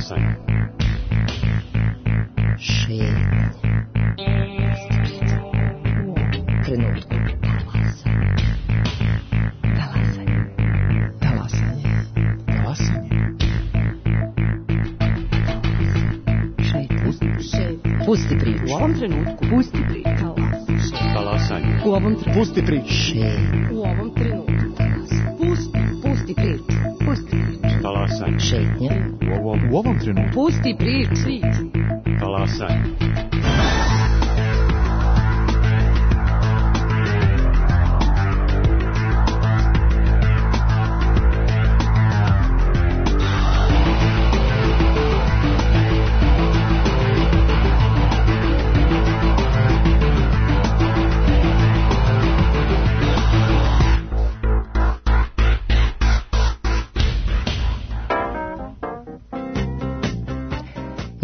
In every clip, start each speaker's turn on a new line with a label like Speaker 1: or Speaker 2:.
Speaker 1: Talasanje.
Speaker 2: Šetnje. Trenutku. Pusti priču.
Speaker 3: U ovom trenutku. Pusti priču.
Speaker 1: Talasanje.
Speaker 3: U ovom trenutku.
Speaker 4: Pusti priču.
Speaker 3: U ovom trenutku. Pusti priču. Pusti priču.
Speaker 1: Talasanje.
Speaker 2: Šetnja.
Speaker 4: U ovom trenutku.
Speaker 3: Pusti priču.
Speaker 1: Talasanje.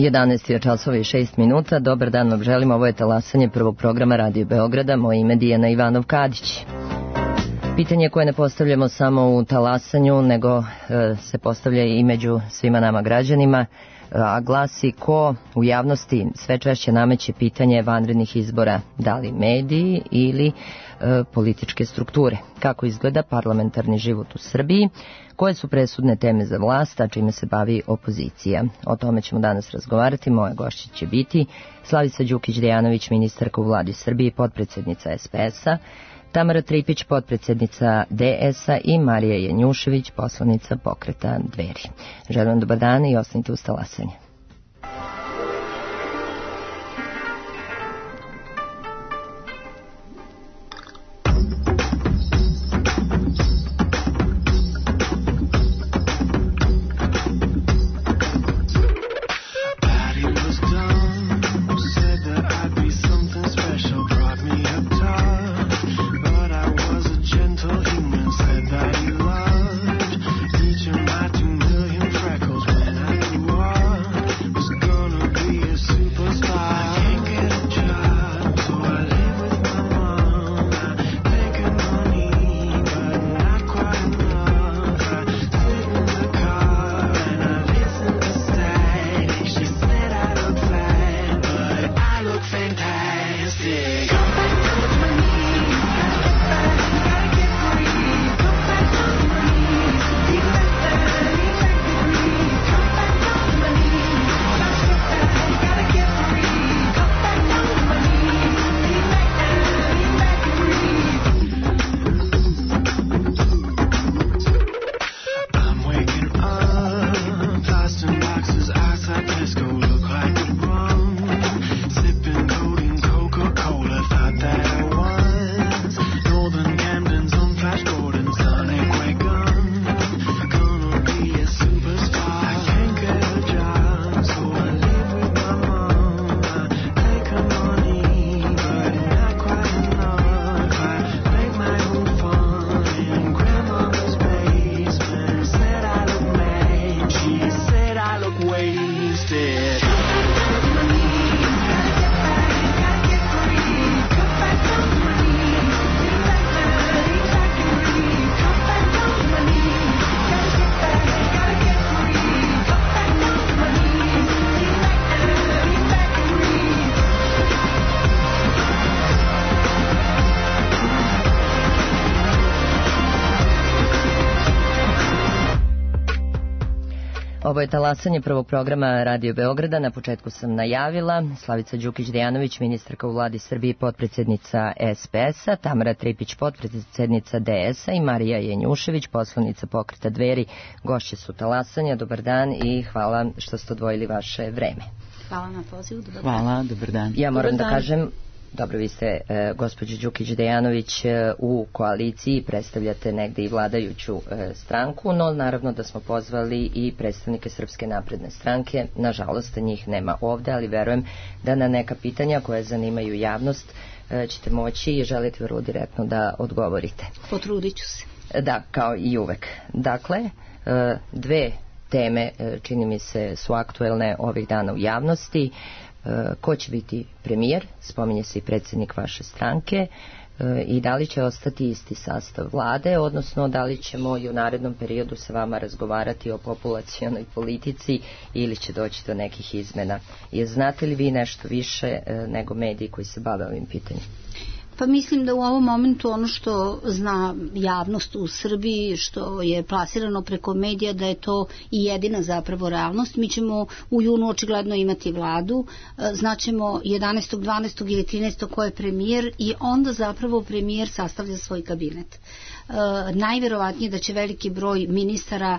Speaker 2: Jedanaest je časova i 6 minuta. Dobar dan vam želim. Ovo je Talasanje prvog programa Radio Beograda. Moje ime Dijana Ivanov-Kadić. Pitanje koje ne postavljamo samo u Talasanju, nego se postavlja i među svima nama građanima, a glasi: ko u javnosti sve češće nameće pitanje vanrednih izbora, da li mediji ili političke strukture? Kako izgleda parlamentarni život u Srbiji? Koje su presudne teme za vlast, a čime se bavi opozicija? O tome ćemo danas razgovarati. Moja gošća će biti Slavica Đukić-Dejanović, ministarka u vladi Srbije, potpredsednica SPS-a, Tamara Tripić, potpredsednica DS-a i Marija Janjušević, poslanica pokreta Dveri. Želim vam dobar dan i ostanite uz Talasanje. Ovo je Talasanje prvog programa Radio Beograda. Na početku sam najavila Slavica Đukić-Dejanović, ministarka u vladi Srbije, potpredsednica SPS-a, Tamara Tripić, potpredsednica DS-a i Marija Janjušević, poslanica pokreta Dveri. Gošće su Talasanja. Dobar dan i hvala što ste odvojili vaše vreme.
Speaker 3: Hvala na pozivu. Dobar dan.
Speaker 4: Hvala, dobar dan.
Speaker 2: Ja moram da kažem, dobro, vi ste, gospođo Đukić-Dejanović, u koaliciji, predstavljate negde i vladajuću stranku, no naravno da smo pozvali i predstavnike Srpske napredne stranke. Nažalost, njih nema ovde, ali verujem da na neka pitanja koje zanimaju javnost ćete moći i želite vrlo direktno da odgovorite.
Speaker 3: Potrudit ću se.
Speaker 2: Da, kao i uvek. Dakle, dve teme, čini mi se, su aktuelne ovih dana u javnosti. Ko će biti premijer, spominje se i predsjednik vaše stranke, i da li će ostati isti sastav vlade, odnosno da li ćemo i u narednom periodu sa vama razgovarati o populacionoj politici ili će doći do nekih izmena. Znate li vi nešto više nego mediji koji se bave ovim pitanjem?
Speaker 3: Pa mislim da u ovom momentu ono što zna javnost u Srbiji, što je plasirano preko medija, da je to i jedina zapravo realnost. Mi ćemo u junu očigledno imati vladu, znaćemo 11. 12. ili 13. ko je premijer i onda zapravo premijer sastavlja svoj kabinet. Najverovatnije da će veliki broj ministara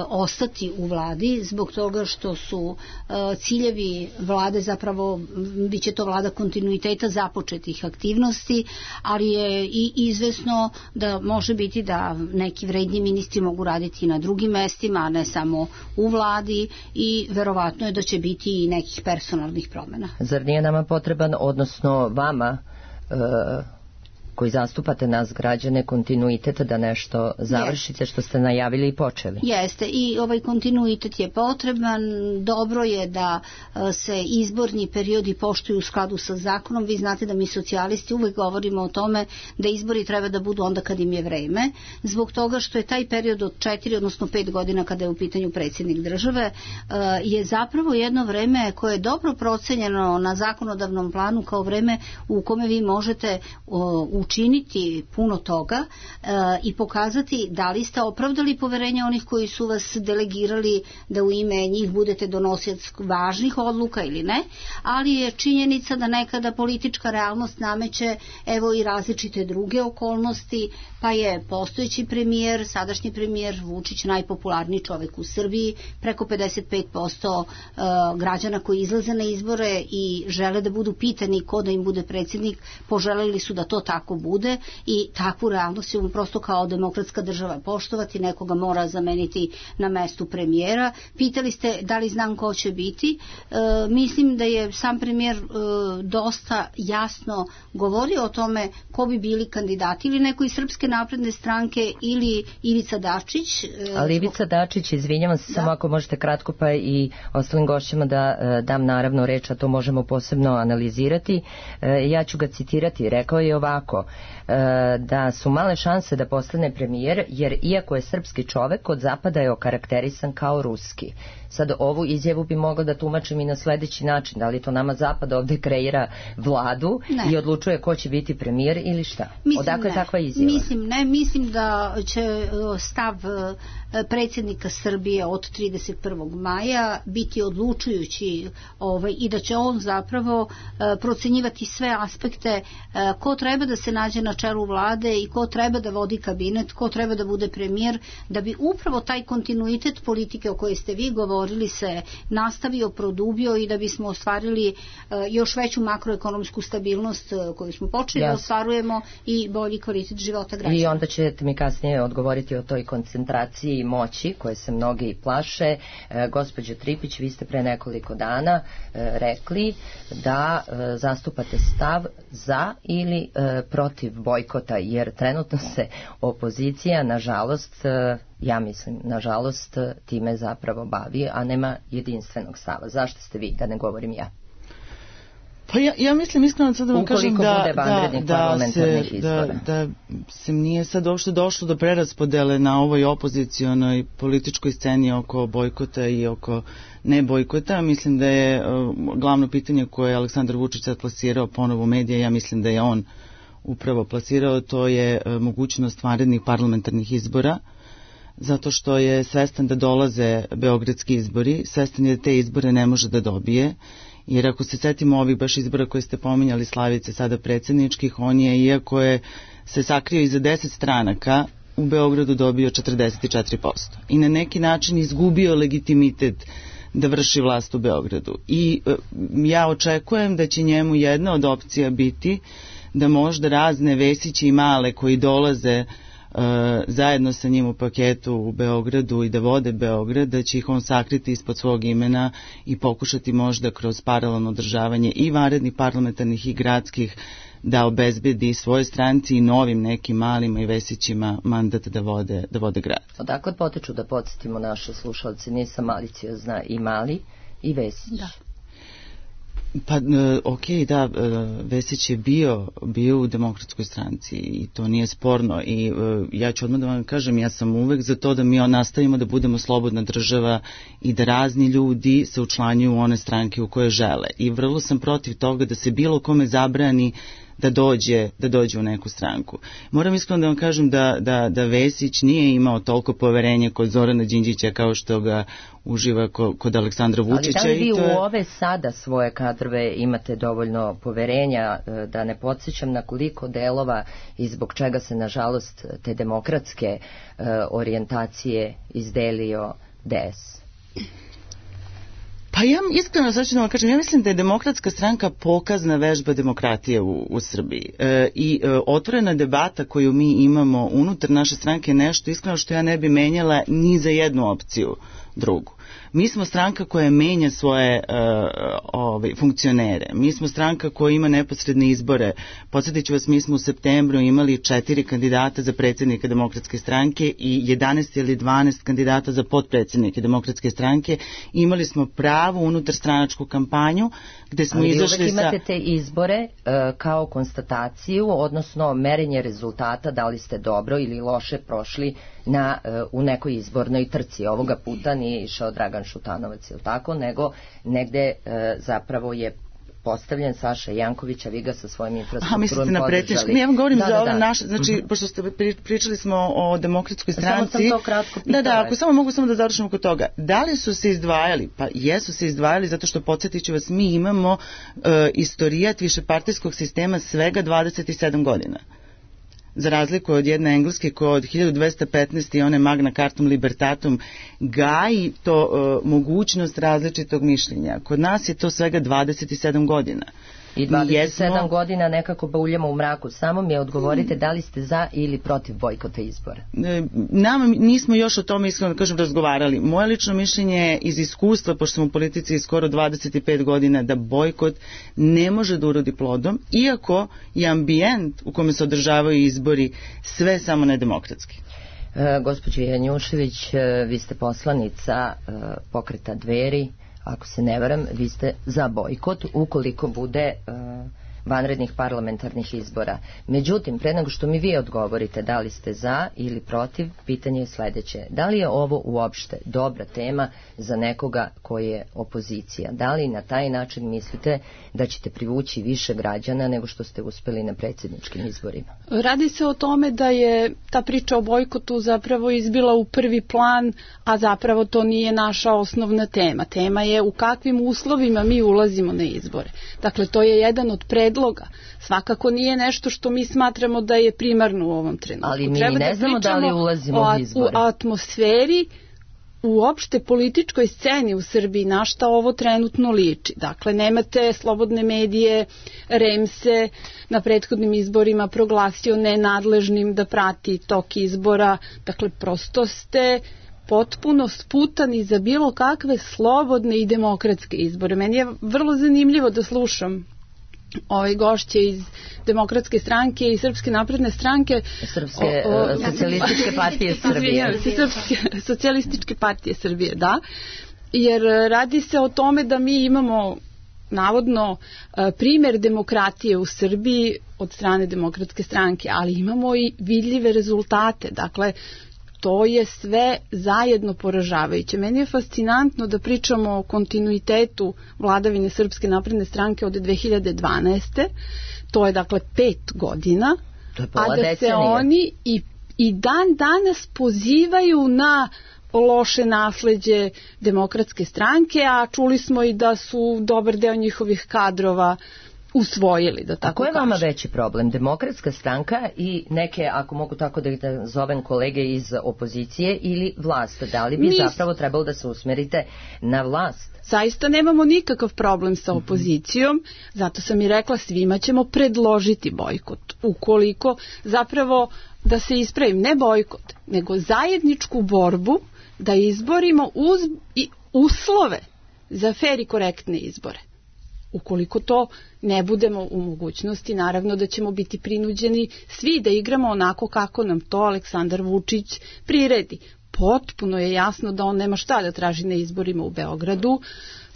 Speaker 3: ostati u vladi zbog toga što su ciljevi vlade zapravo, bit će to vlada kontinuiteta započetih aktivnosti, ali je i izvesno da može biti da neki vredni ministri mogu raditi na drugim mestima, a ne samo u vladi, i verovatno je da će biti i nekih personalnih promjena.
Speaker 2: Zar nije nama potreban, odnosno vama, koji zastupate nas građane, kontinuitet da nešto završite što ste najavili i počeli?
Speaker 3: Jeste, i ovaj kontinuitet je potreban. Dobro je da se izborni periodi poštuju u skladu sa zakonom. Vi znate da mi socijalisti uvek govorimo o tome da izbori treba da budu onda kad im je vreme, zbog toga što je taj period od 4 odnosno 5 godina kada je u pitanju predsjednik države je zapravo jedno vreme koje je dobro procenjeno na zakonodavnom planu kao vreme u kome vi možete učiniti puno toga i pokazati da li ste opravdali poverenje onih koji su vas delegirali da u ime njih budete donosioc važnih odluka ili ne, ali je činjenica da nekada politička realnost nameće evo i različite druge okolnosti, pa je postojeći premijer, sadašnji premijer Vučić najpopularniji čovjek u Srbiji, preko 55% građana koji izlaze na izbore i žele da budu pitani ko da im bude predsjednik, poželeli su da to tako bude i takvu realnost ćemo prosto kao demokratska država poštovati, nekoga mora zameniti na mestu premijera. Pitali ste da li znam ko će biti. Mislim da je sam premijer dosta jasno govorio o tome ko bi bili kandidati, ili neko iz Srpske napredne stranke ili Ivica Dačić.
Speaker 2: Ali Ivica Dačić, izvinjavam se, samo ako možete kratko, pa i ostalim gošćima da dam naravno reč, a to možemo posebno analizirati. Ja ću ga citirati, rekao je ovako, da su male šanse da postane premijer, jer iako je srpski čovek, od zapada je okarakterisan kao ruski. Sad ovu izjavu bi mogla da tumačim i na sledeći način, da li to nama zapad ovde kreira vladu i odlučuje ko će biti premijer ili šta? Odakle je takva izjava?
Speaker 3: Mislim da će stav predsjednika Srbije od 31. maja biti odlučujući i da će on zapravo procenjivati sve aspekte ko treba da se nađe na čelu vlade i ko treba da vodi kabinet, ko treba da bude premijer, da bi upravo taj kontinuitet politike o kojoj ste vi govorili se nastavio, produbio i da bismo ostvarili još veću makroekonomsku stabilnost koju smo počeli da ostvarujemo i bolji kvalitet života građana.
Speaker 2: I onda ćete mi kasnije odgovoriti o toj koncentraciji moći koje se mnogi plaše. Gospođo Tripić, vi ste pre nekoliko dana rekli da zastupate stav za ili protiv bojkota, jer trenutno se opozicija, nažalost, ja mislim, nažalost, time zapravo bavi, a nema jedinstvenog stava. Zašto ste vi, da ne govorim ja?
Speaker 4: Pa ja mislim iskreno sad da vam kažem
Speaker 2: da
Speaker 4: se nije sad uopšte došlo do preraspodele na ovoj opozicionoj političkoj sceni oko bojkota i oko ne bojkota. Mislim da je glavno pitanje koje je Aleksandar Vučić sad plasirao ponovo u medije, ja mislim da je on upravo plasirao, to je mogućnost vanrednih parlamentarnih izbora, zato što je svestan da dolaze beogradski izbori, svestan je da te izbore ne može da dobije, jer ako se setimo ovih baš izbora koje ste pominjali, Slavice, sada predsjedničkih, on je, iako je se sakrio iza 10 stranaka, u Beogradu dobio 44% i na neki način izgubio legitimitet da vrši vlast u Beogradu. I ja očekujem da će njemu jedna od opcija biti da možda razne Vesići i Male koji dolaze zajedno sa njim u paketu u Beogradu i da vode Beograd, da će ih on sakriti ispod svog imena i pokušati možda kroz paralelno održavanje i vanrednih parlamentarnih i gradskih da obezbedi svoje stranci i novim nekim Malima i Vesićima mandat da vode grad.
Speaker 2: Odakle potiču, da podsjetimo naše slušalce, nisam maliciozna, i Mali i Vesić?
Speaker 3: Da.
Speaker 4: Pa, da, Vesić je bio u Demokratskoj stranci i to nije sporno i ja ću odmah da vam kažem, ja sam uvek za to da mi nastavimo da budemo slobodna država i da razni ljudi se učlanjuju u one stranke u koje žele i vrlo sam protiv toga da se bilo kome zabrani da dođe u neku stranku. Moram iskreno da vam kažem da Vesić nije imao toliko poverenja kod Zorana Đinđića kao što ga uživa kod Aleksandra Vučića.
Speaker 2: Ali da li vi u ove sada svoje kadrove imate dovoljno poverenja, da ne podsjećam na koliko delova i zbog čega se nažalost te demokratske orijentacije izdelio DS?
Speaker 4: Pa ja iskreno sad ću da vam kažem, ja mislim da je Demokratska stranka pokazna vežba demokratije u Srbiji i otvorena debata koju mi imamo unutar naše stranke je nešto iskreno što ja ne bi menjala ni za jednu opciju drugu. Mi smo stranka koja menja svoje funkcionere. Mi smo stranka koja ima neposredne izbore. Podsjetit ću vas, mi smo u septembru imali 4 kandidata za predsjednika Demokratske stranke i 11 ili 12 kandidata za potpredsjednike Demokratske stranke. Imali smo pravu unutar stranačku kampanju gde smo izašli sa...
Speaker 2: Ali vi uvek imate te izbore kao konstataciju, odnosno merenje rezultata, da li ste dobro ili loše prošli u nekoj izbornoj trci. Ovoga puta nije išao Dragan Šutanovac, ili tako, nego negde zapravo je postavljen Saša Janković, a vi ga sa svojim infrastrukturom podržali.
Speaker 4: Mislite na predsjedničku. Ja vam govorim za ove naše, znači, pošto ste pričali smo o Demokratskoj stranci.
Speaker 2: Samo sam to kratko pitala.
Speaker 4: Da, ako samo mogu da završimo kod toga. Da li su se izdvajali? Pa jesu se izdvajali zato što, podsjetit ću vas, mi imamo istorijat višepartijskog sistema svega 27 godina. Za razliku od jedne Engleske koja od 1215. i one Magna Cartum Libertatum gaji to mogućnost različitog mišljenja. Kod nas je to svega 27 godina.
Speaker 2: I 27 godina nekako bauljamo u mraku. Samo mi odgovorite da li ste za ili protiv bojkota izbora.
Speaker 4: Nama nismo još o tome iskreno da kažem razgovarali. Moje lično mišljenje je iz iskustva, pošto sam u politici skoro 25 godina, da bojkot ne može da urodi plodom, iako je ambijent u kome se održavaju izbori sve samo nedemokratski.
Speaker 2: Gospođo Janjušević, vi ste poslanica pokreta Dveri. Ako se ne varam, vi ste za bojkot ukoliko bude vanrednih parlamentarnih izbora. Međutim, pre nego što mi vi odgovorite da li ste za ili protiv, pitanje je sledeće. Da li je ovo uopšte dobra tema za nekoga koji je opozicija? Da li na taj način mislite da ćete privući više građana nego što ste uspeli na predsjedničkim izborima?
Speaker 5: Radi se o tome da je ta priča o bojkotu zapravo izbila u prvi plan, a zapravo to nije naša osnovna tema. Tema je u kakvim uslovima mi ulazimo na izbore. Dakle, to je jedan od predloga. Svakako nije nešto što mi smatramo da je primarno u ovom trenutku.
Speaker 2: Ali mi ne znamo da li ulazimo u izbore.
Speaker 5: U atmosferi, u opšte političkoj sceni u Srbiji, na šta ovo trenutno liči. Dakle, nemate slobodne medije, REM se na prethodnim izborima proglasio nenadležnim da prati tok izbora. Dakle, prosto ste potpuno sputani za bilo kakve slobodne i demokratske izbore. Meni je vrlo zanimljivo da slušam gošće iz Demokratske stranke i Srpske napredne stranke,
Speaker 2: Socijalističke partije Srbije.
Speaker 5: Socijalističke partije Srbije, da. Jer radi se o tome da mi imamo navodno primer demokratije u Srbiji od strane Demokratske stranke, ali imamo i vidljive rezultate. Dakle, to je sve zajedno poražavajuće. Meni je fascinantno da pričamo o kontinuitetu vladavine Srpske napredne stranke od 2012. To je dakle 5 godina.
Speaker 2: A da
Speaker 5: se oni i dan danas pozivaju na loše nasleđe Demokratske stranke, a čuli smo i da su dobar deo njihovih kadrova usvojili, da tako kažem.
Speaker 2: A ko je vama veći problem? Demokratska stranka i neke, ako mogu tako da ih zovem, kolege iz opozicije ili vlast? Da li bi zapravo trebalo da se usmerite na vlast?
Speaker 5: Zaista nemamo nikakav problem sa opozicijom, zato sam i rekla svima ćemo predložiti bojkot. Ukoliko zapravo, da se ispravim, ne bojkot, nego zajedničku borbu da izborimo uslove za fer i korektne izbore. Ukoliko to ne budemo u mogućnosti, naravno da ćemo biti prinuđeni svi da igramo onako kako nam to Aleksandar Vučić priredi. Potpuno je jasno da on nema šta da traži na izborima u Beogradu.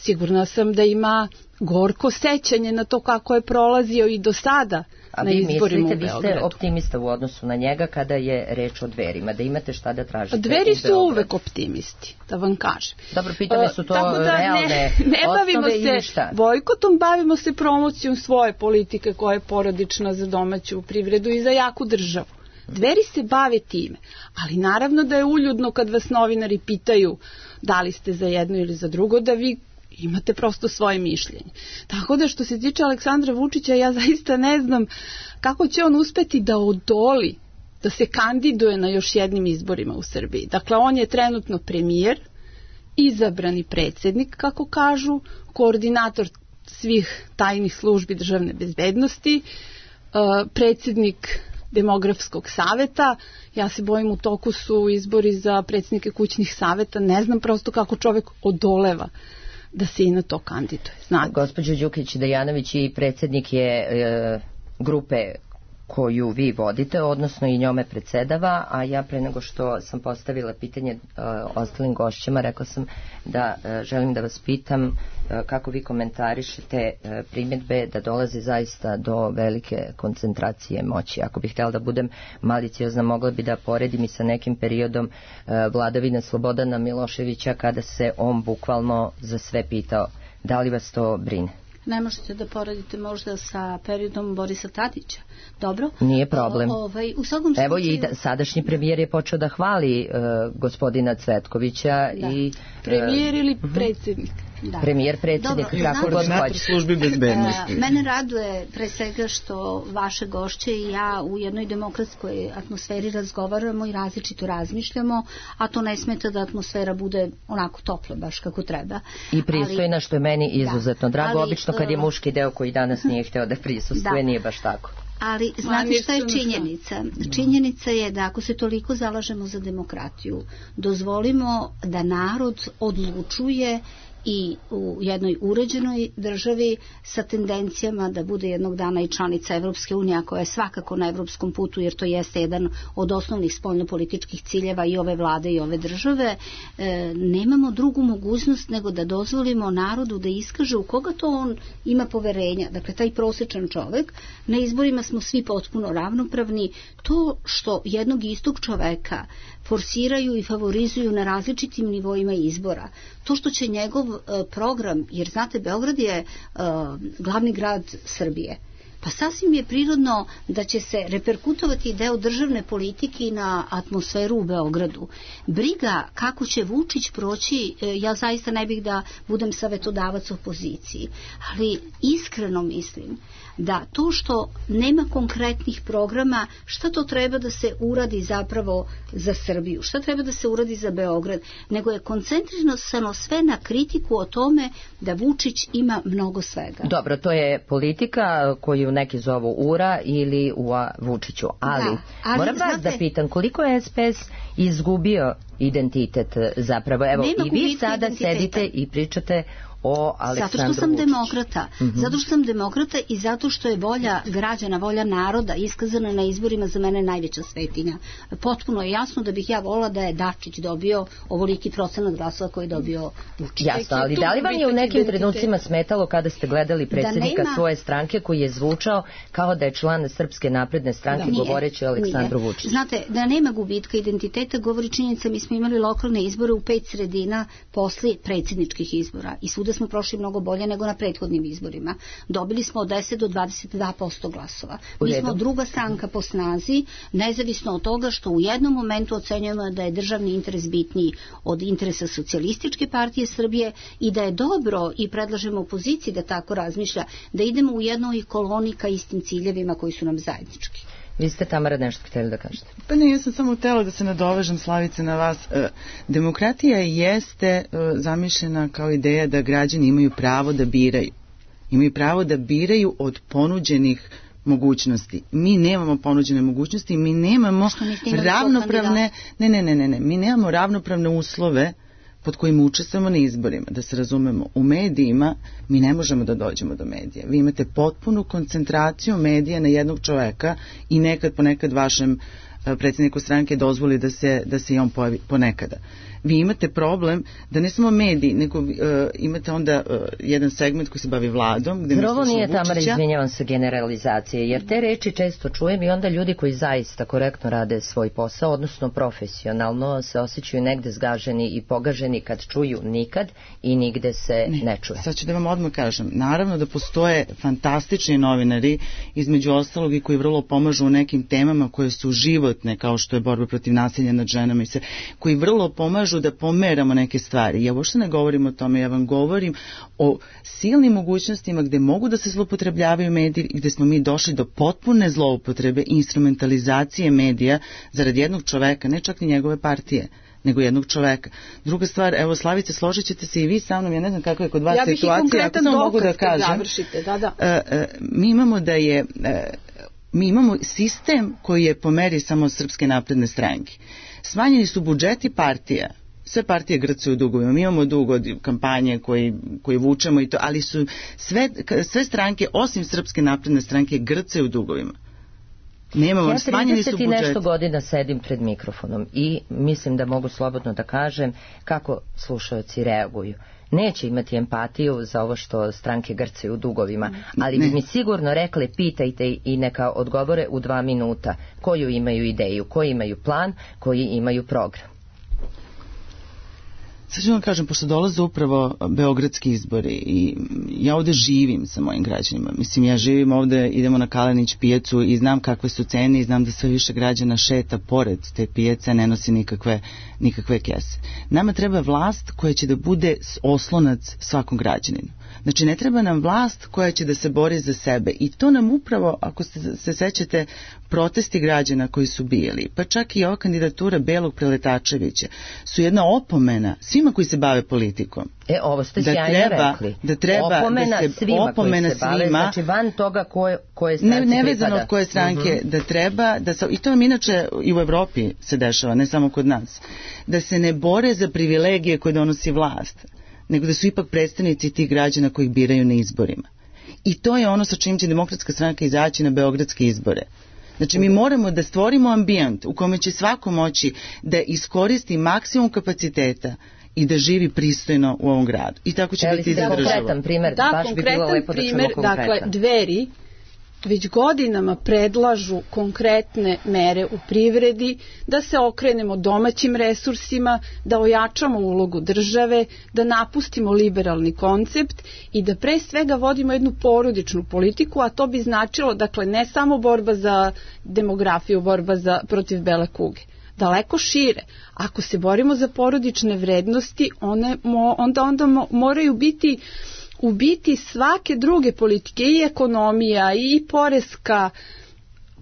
Speaker 5: sigurna sam da ima gorko sećanje na to kako je prolazio i do sada na izborima u Beogradu.
Speaker 2: A vi mislite, vi ste optimista u odnosu na njega kada je reč o Dverima, da imate šta da tražite?
Speaker 5: Dveri su uvek optimisti, da vam kažem.
Speaker 2: Dobro, pitanje su to realne osnove ili šta?
Speaker 5: Bojkotom, bavimo se promocijom svoje politike koja je porodična za domaću privredu i za jaku državu. Dveri se bave time, ali naravno da je uljudno kad vas novinari pitaju da li ste za jedno ili za drugo, da vi imate prosto svoje mišljenje. Tako da što se tiče Aleksandra Vučića, ja zaista ne znam kako će on uspeti da odoli, da se kandiduje na još jednim izborima u Srbiji. Dakle, on je trenutno premijer, izabrani predsjednik, kako kažu, koordinator svih tajnih službi državne bezbednosti, predsjednik demografskog saveta. Ja se bojim, u toku su izbori za predsjednike kućnih saveta. Ne znam prosto kako čovjek odoleva da se i na to kandiduje. Znate.
Speaker 2: Gospođo Đukić-Dejanović i predsjednik je grupe koju vi vodite, odnosno i njome predsedava, a ja pre nego što sam postavila pitanje ostalim gošćima, rekla sam da želim da vas pitam kako vi komentarišete primjedbe da dolazi zaista do velike koncentracije moći. Ako bih htjela da budem maliciozna, mogla bi da poredim i sa nekim periodom vladavine Slobodana Miloševića, kada se on bukvalno za sve pitao. Da li vas to brine?
Speaker 3: Ne možete da poredite možda sa periodom Borisa Tadića. Dobro?
Speaker 2: Nije problem.
Speaker 3: U svakom slučaju...
Speaker 2: Evo i saadašnji premijer je počeo da hvali gospodina Cvetkovića.
Speaker 3: Da.
Speaker 2: I
Speaker 5: premijer ili predsjednik?
Speaker 3: Da.
Speaker 2: Premijer, predsjednik, kako god hoće.
Speaker 4: Službi bezbednosti.
Speaker 3: Mene raduje pre svega što vaše gošće i ja u jednoj demokratskoj atmosferi razgovaramo i različito razmišljamo, a to ne smeta da atmosfera bude onako topla, baš kako treba.
Speaker 2: I pristojna, što je meni izuzetno drago. Obično kad je muški deo koji danas nije hteo da prisustuje, nije baš tako.
Speaker 3: Ali znate šta je činjenica? Činjenica je da ako se toliko zalažemo za demokratiju, dozvolimo da narod odlučuje i u jednoj uređenoj državi sa tendencijama da bude jednog dana i članica Evropske unije, koja je svakako na evropskom putu, jer to jeste jedan od osnovnih spoljnopolitičkih ciljeva i ove vlade i ove države, nemamo drugu mogućnost nego da dozvolimo narodu da iskaže u koga to on ima poverenja. Dakle, taj prosječan čovek, na izborima smo svi potpuno ravnopravni. To što jednog istog čoveka forsiraju i favorizuju na različitim nivoima izbora, to što će njegov program, jer znate, Beograd je glavni grad Srbije, pa sasvim je prirodno da će se reperkutovati deo državne politike na atmosferu u Beogradu. Briga kako će Vučić proći, ja zaista ne bih da budem savetodavac opoziciji, ali iskreno mislim da to što nema konkretnih programa, šta to treba da se uradi zapravo za Srbiju, šta treba da se uradi za Beograd, nego je koncentrirano sve na kritiku o tome da Vučić ima mnogo svega.
Speaker 2: Dobro, to je politika koju neki zovu URA ili UA Vučiću, ali moram vas da pitam, koliko je SPS izgubio identitet zapravo? Evo, i vi sada sedite i pričate o Aleksandru Vučiću.
Speaker 3: Zato što sam demokrata. Zato što sam demokrata i zato što je volja građana, volja naroda iskazana na izborima za mene najveća svetinja. Potpuno je jasno da bih ja volila da je Dačić dobio ovoliki procenat glasova koji je dobio Vučić.
Speaker 2: Jasno, ali da li vam je u nekim trenucima smetalo kada ste gledali predsjednika svoje stranke koji je zvučao kao da je član Srpske napredne stranke govoreći o Aleksandru Vučiću?
Speaker 3: Znate, da nema gubitka identiteta govori činjenica, mi smo imali lokalne izbore u 5 sredina posle predsjedničkih izbora i svuda smo prošli mnogo bolje nego na prethodnim izborima. Dobili smo od 10 do 22% glasova. Mi smo druga stranka po snazi, nezavisno od toga što u jednom momentu ocenjujemo da je državni interes bitniji od interesa Socijalističke partije Srbije i da je dobro, i predlažemo opoziciji da tako razmišlja, da idemo u jednoj koloni ka istim ciljevima koji su nam zajednički.
Speaker 2: Vi ste, Tamara, nešto htjeli da kažete?
Speaker 4: Pa ne, ja sam samo htjela da se nadovežem, Slavice, na vas. Demokratija jeste zamišljena kao ideja da građani imaju pravo da biraju. Imaju pravo da biraju od ponuđenih mogućnosti. Mi nemamo ponuđene mogućnosti, mi nemamo ravnopravne... Mi nemamo ravnopravne uslove pod kojim učestvujemo na izborima. Da se razumemo, u medijima mi ne možemo da dođemo do medija. Vi imate potpunu koncentraciju medija na jednog čoveka i ponekad vašem predsjedniku stranke dozvoli da se i on pojavi ponekada. Vi imate problem da ne samo mediji, nego imate onda jedan segment koji se bavi vladom.
Speaker 2: Gde ovo nije, Tamara, izvinjavam se, generalizacije, jer te reči često čujem i onda ljudi koji zaista korektno rade svoj posao, odnosno profesionalno, se osjećaju negde zgaženi i pogaženi kad čuju nikad i nigde se ne čuje.
Speaker 4: Sad ću da vam odmah kažem, naravno da postoje fantastični novinari, između ostalog i koji vrlo pomažu u nekim temama koje su životne, kao što je borba protiv nasilja nad ženama i sve, koji vrlo pomažu da pomeramo neke stvari. Ja uopšte ne govorim o tome, ja vam govorim o silnim mogućnostima gde mogu da se zloupotrebljavaju mediji, gde smo mi došli do potpune zloupotrebe i instrumentalizacije medija zarad jednog čoveka, ne čak ni njegove partije, nego jednog čoveka. Druga stvar, evo Slavice, složit ćete se i vi sa mnom, ja ne znam kakva je kod vas situacija, ako samo mogu da kažem. Mi imamo sistem koji je po meri samo Srpske napredne stranke. Smanjeni su budžeti partija. Sve partije grcaju u dugovima. Mi imamo dug od kampanje koji vučemo i to, ali su sve stranke, osim Srpske napredne stranke, grcaju u dugovima. Nemamo, smanjeni su budžeti. Ja 30 i nešto godina sedim pred mikrofonom i mislim da mogu slobodno da kažem kako slušaoci reaguju. Neće imati empatiju za ovo što stranke grcaju u dugovima, ali bi mi sigurno rekli, pitajte i neka odgovore u 2 minuta koju imaju ideju, koji imaju plan, koji imaju program. Sad ću vam kažem, pošto dolaze upravo beogradski izbori i ja ovde živim sa mojim građanima. Mislim, ja živim ovde, idemo na Kalenić pijacu i znam kakve su cene i znam da sve više građana šeta pored te pijace, ne nosi nikakve kese. Nama treba vlast koja će da bude oslonac svakom građaninu. Znači, ne treba nam vlast koja će da se bori za sebe i to nam upravo, ako se sećate, protesti građana koji su bili, pa čak i ova kandidatura Belog Preletačevića su jedna opomena svima koji se bave politikom.
Speaker 2: Ovo ste sjajno rekli.
Speaker 4: Da treba
Speaker 2: opomena
Speaker 4: da se
Speaker 2: svima koji se bave, znači van toga koje stranci pripada.
Speaker 4: Nevezano od koje stranke, da treba, i to nam inače i u Evropi se dešava, ne samo kod nas, da se ne bore za privilegije koje donosi vlast, nego da su ipak predstavnici tih građana koji ih biraju na izborima. I to je ono sa čim će Demokratska stranka izaći na beogradske izbore. Znači, mi moramo da stvorimo ambijent u kome će svako moći da iskoristi maksimum kapaciteta i da živi pristojno u ovom gradu. I tako će biti i za državu.
Speaker 2: Konkretan primer, baš bi bilo lepo da čumo konkretan.
Speaker 5: Dakle, Dveri već godinama predlažu konkretne mere u privredi, da se okrenemo domaćim resursima, da ojačamo ulogu države, da napustimo liberalni koncept i da pre svega vodimo jednu porodičnu politiku, a to bi značilo, dakle, ne samo borba za demografiju, borba protiv bele kuge. Daleko šire. Ako se borimo za porodične vrednosti, onda moraju biti u biti svake druge politike, i ekonomija, i poreska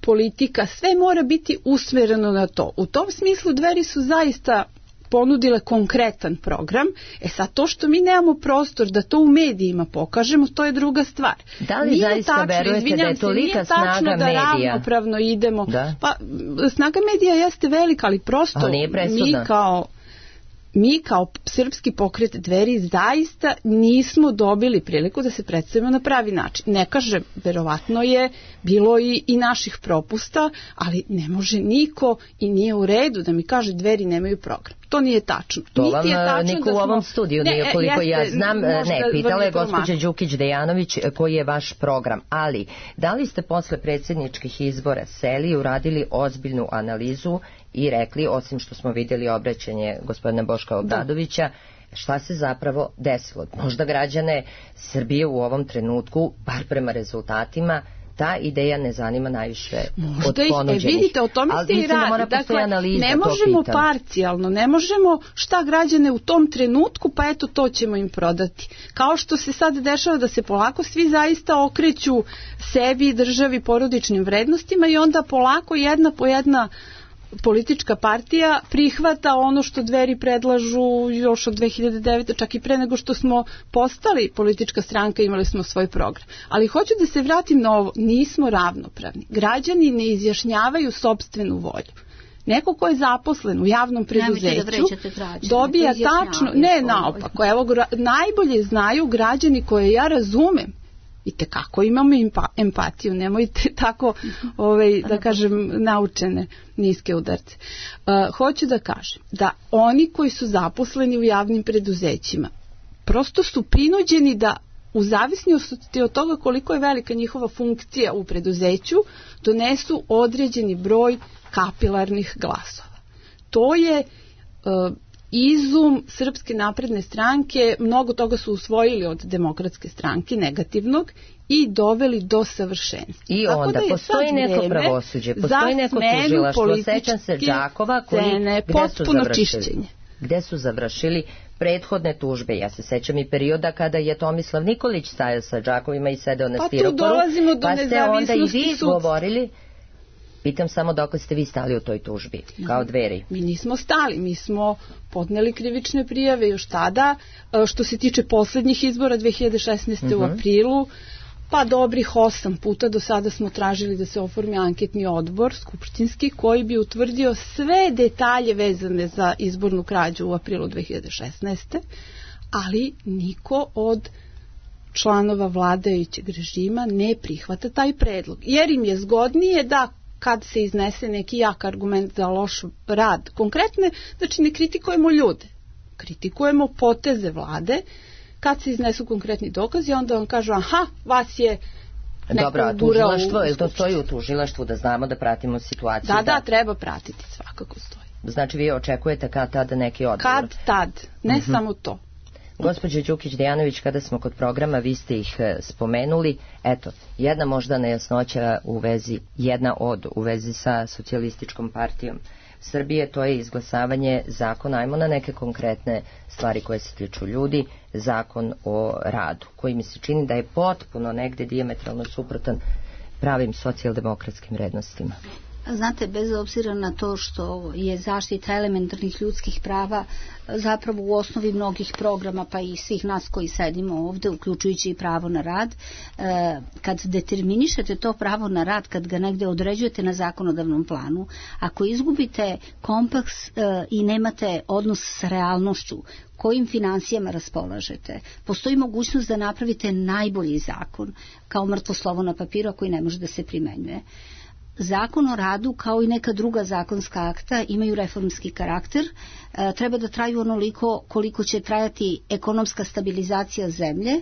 Speaker 5: politika, sve mora biti usmereno na to. U tom smislu Dveri su zaista ponudile konkretan program. Sad to što mi nemamo prostor da to u medijima pokažemo, to je druga stvar.
Speaker 2: Da li zaista verujete da je tolika snaga medija?
Speaker 5: Da ravnopravno idemo. Da. Pa snaga medija jeste velika, ali prosto mi kao Srpski pokret Dveri zaista nismo dobili priliku da se predstavimo na pravi način. Ne kažem, verovatno je bilo i naših propusta, ali ne može niko i nije u redu da mi kaže Dveri nemaju program. To nije tačno.
Speaker 2: To vam niko u ovom studiju nije, koliko ja znam. Pitala je gospođa Đukić-Dejanović koji je vaš program. Ali, da li ste posle predsjedničkih izbora seli i uradili ozbiljnu analizu i rekli, osim što smo vidjeli obraćanje gospodina Boška Obradovića, šta se zapravo desilo? Možda građane Srbije u ovom trenutku, bar prema rezultatima, ta ideja ne zanima najviše od ponuđenih.
Speaker 5: Vidite, o tome se i radi. Dakle, ne možemo parcijalno, ne možemo šta građane u tom trenutku, pa eto to ćemo im prodati. Kao što se sad dešava da se polako svi zaista okreću sebi, državi, porodičnim vrednostima i onda polako jedna po jedna politička partija prihvata ono što Dveri predlažu još od 2009. čak i pre nego što smo postali politička stranka, imali smo svoj program. Ali hoću da se vratim na ovo, nismo ravnopravni. Građani ne izjašnjavaju sopstvenu volju. Neko ko je zaposlen u javnom preduzeću dobija tačno, ne naopako, evo najbolje znaju građani koje ja razumem I tekako imamo empatiju, nemojte tako, da kažem, naučene niske udarce. Hoću da kažem da oni koji su zaposleni u javnim preduzećima prosto su prinuđeni da u zavisnosti od toga koliko je velika njihova funkcija u preduzeću donesu određeni broj kapilarnih glasova. To je izum Srpske napredne stranke, mnogo toga su usvojili od Demokratske stranke, negativnog, i doveli do savršenstva.
Speaker 2: I onda postoji neko pravosuđe, postoji neko tužilaštvo, sećam se Đakova, gde su završili prethodne tužbe. Ja se sećam i perioda kada je Tomislav Nikolić stajao sa Đakovima i sedeo na stiroporu, pa ste onda i vi govorili. Pitam samo dok ste vi stali u toj tužbi, kao Dveri.
Speaker 5: Mi nismo stali, mi smo podneli krivične prijave još tada, što se tiče poslednjih izbora 2016. u aprilu, pa dobrih 8 puta do sada smo tražili da se oformi anketni odbor skupštinski koji bi utvrdio sve detalje vezane za izbornu krađu u aprilu 2016. Ali niko od članova vladajućeg režima ne prihvata taj predlog, jer im je zgodnije da kad se iznese neki jak argument za loš rad konkretne, znači ne kritikujemo ljude, kritikujemo poteze vlade, kad se iznesu konkretni dokazi, onda vam kažu, aha, vas je neko
Speaker 2: dobro, a tužilaštvo, je li to stoji u tužilaštvu da znamo da pratimo situaciju?
Speaker 5: Da, treba pratiti, svakako stoji.
Speaker 2: Znači vi očekujete kad tada neki odgovor?
Speaker 5: Kad tad, ne samo to.
Speaker 2: Gospođo Đukić-Dejanović, kada smo kod programa, vi ste ih spomenuli. Eto, jedna možda nejasnoća u vezi sa Socijalističkom partijom Srbije, to je izglasavanje zakona, ajmo na neke konkretne stvari koje se tiču ljudi, zakon o radu, koji mi se čini da je potpuno negde dijametralno suprotan pravim socijaldemokratskim vrednostima.
Speaker 3: Znate, bez obzira na to što je zaštita elementarnih ljudskih prava zapravo u osnovi mnogih programa, pa i svih nas koji sedimo ovde, uključujući i pravo na rad, kad determinišete to pravo na rad, kad ga negde određujete na zakonodavnom planu, ako izgubite kompaks i nemate odnos sa realnošću, kojim financijama raspolažete, postoji mogućnost da napravite najbolji zakon kao mrtvo slovo na papiru koji ne može da se primenjuje. Zakon o radu, kao i neka druga zakonska akta, imaju reformski karakter, treba da traju onoliko koliko će trajati ekonomska stabilizacija zemlje,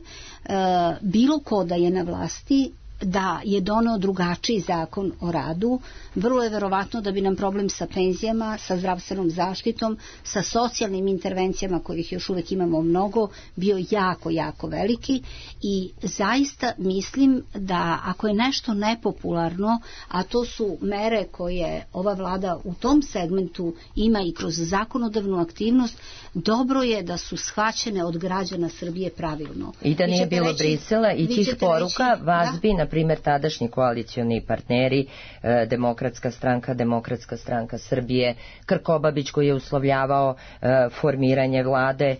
Speaker 3: bilo ko da je na vlasti, da je doneo drugačiji zakon o radu, vrlo je verovatno da bi nam problem sa penzijama, sa zdravstvenom zaštitom, sa socijalnim intervencijama kojih još uvek imamo mnogo, bio jako, jako veliki i zaista mislim da ako je nešto nepopularno, a to su mere koje ova vlada u tom segmentu ima i kroz zakonodavnu aktivnost, dobro je da su shvaćene od građana Srbije pravilno.
Speaker 2: I da nije bilo Brisela i tih poruka, vas bi, na primjer, tadašnji koalicioni partneri, Demokratska stranka Srbije, Krkobabić koji je uslovljavao formiranje vlade,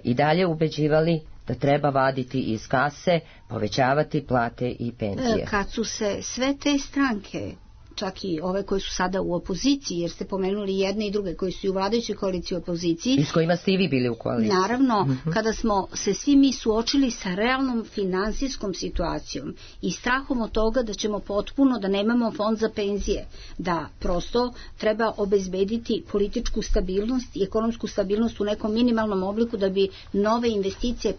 Speaker 2: i dalje ubeđivali da treba vaditi iz kase, povećavati plate i penzije.
Speaker 3: Kad su se sve te stranke, čak i ove koje su sada u opoziciji, jer ste pomenuli jedne i druge koji su i u vladajućoj koaliciji u opoziciji.
Speaker 2: I s kojima ste i vi bili u koaliciji.
Speaker 3: Naravno, kada smo se svi mi suočili sa realnom finansijskom situacijom i strahom od toga da ćemo potpuno, da nemamo fond za penzije, da prosto treba obezbediti političku stabilnost i ekonomsku stabilnost u nekom minimalnom obliku da bi nove investicije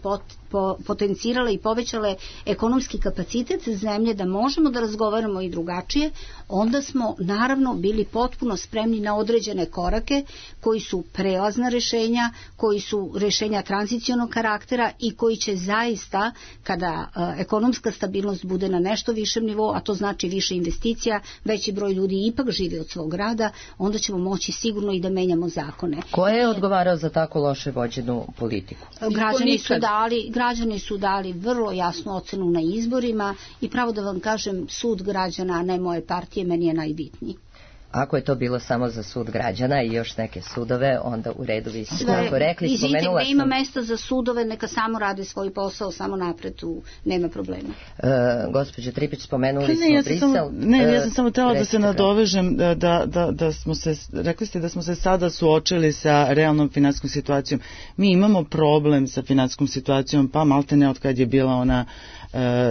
Speaker 3: potencirale i povećale ekonomski kapacitet zemlje, da možemo da razgovaramo i drugačije, onda smo naravno bili potpuno spremni na određene korake koji su prelazna rešenja, koji su rešenja tranzicionog karaktera i koji će zaista, kada ekonomska stabilnost bude na nešto višem nivou, a to znači više investicija, veći broj ljudi ipak živi od svog rada, onda ćemo moći sigurno i da menjamo zakone.
Speaker 2: Ko je odgovarao za tako loše vođenu politiku?
Speaker 3: Građani su dali vrlo jasnu ocenu na izborima i pravo da vam kažem, sud građana, a ne moje partije, meni je najbitniji.
Speaker 2: Ako je to bilo samo za sud građana i još neke sudove, onda u redu, vi ste tako rekli.
Speaker 3: Spomenula sam... ima mesta za sudove, neka samo rade svoj posao, samo napred, tu nema problema.
Speaker 2: Gospođo Tripić, spomenuli smo Brisel.
Speaker 4: Ja sam samo htjela da se nadovežem, da smo se, rekli ste da smo se sada suočili sa realnom finansijskom situacijom. Mi imamo problem sa finansijskom situacijom, pa malte ne od kad je bila ona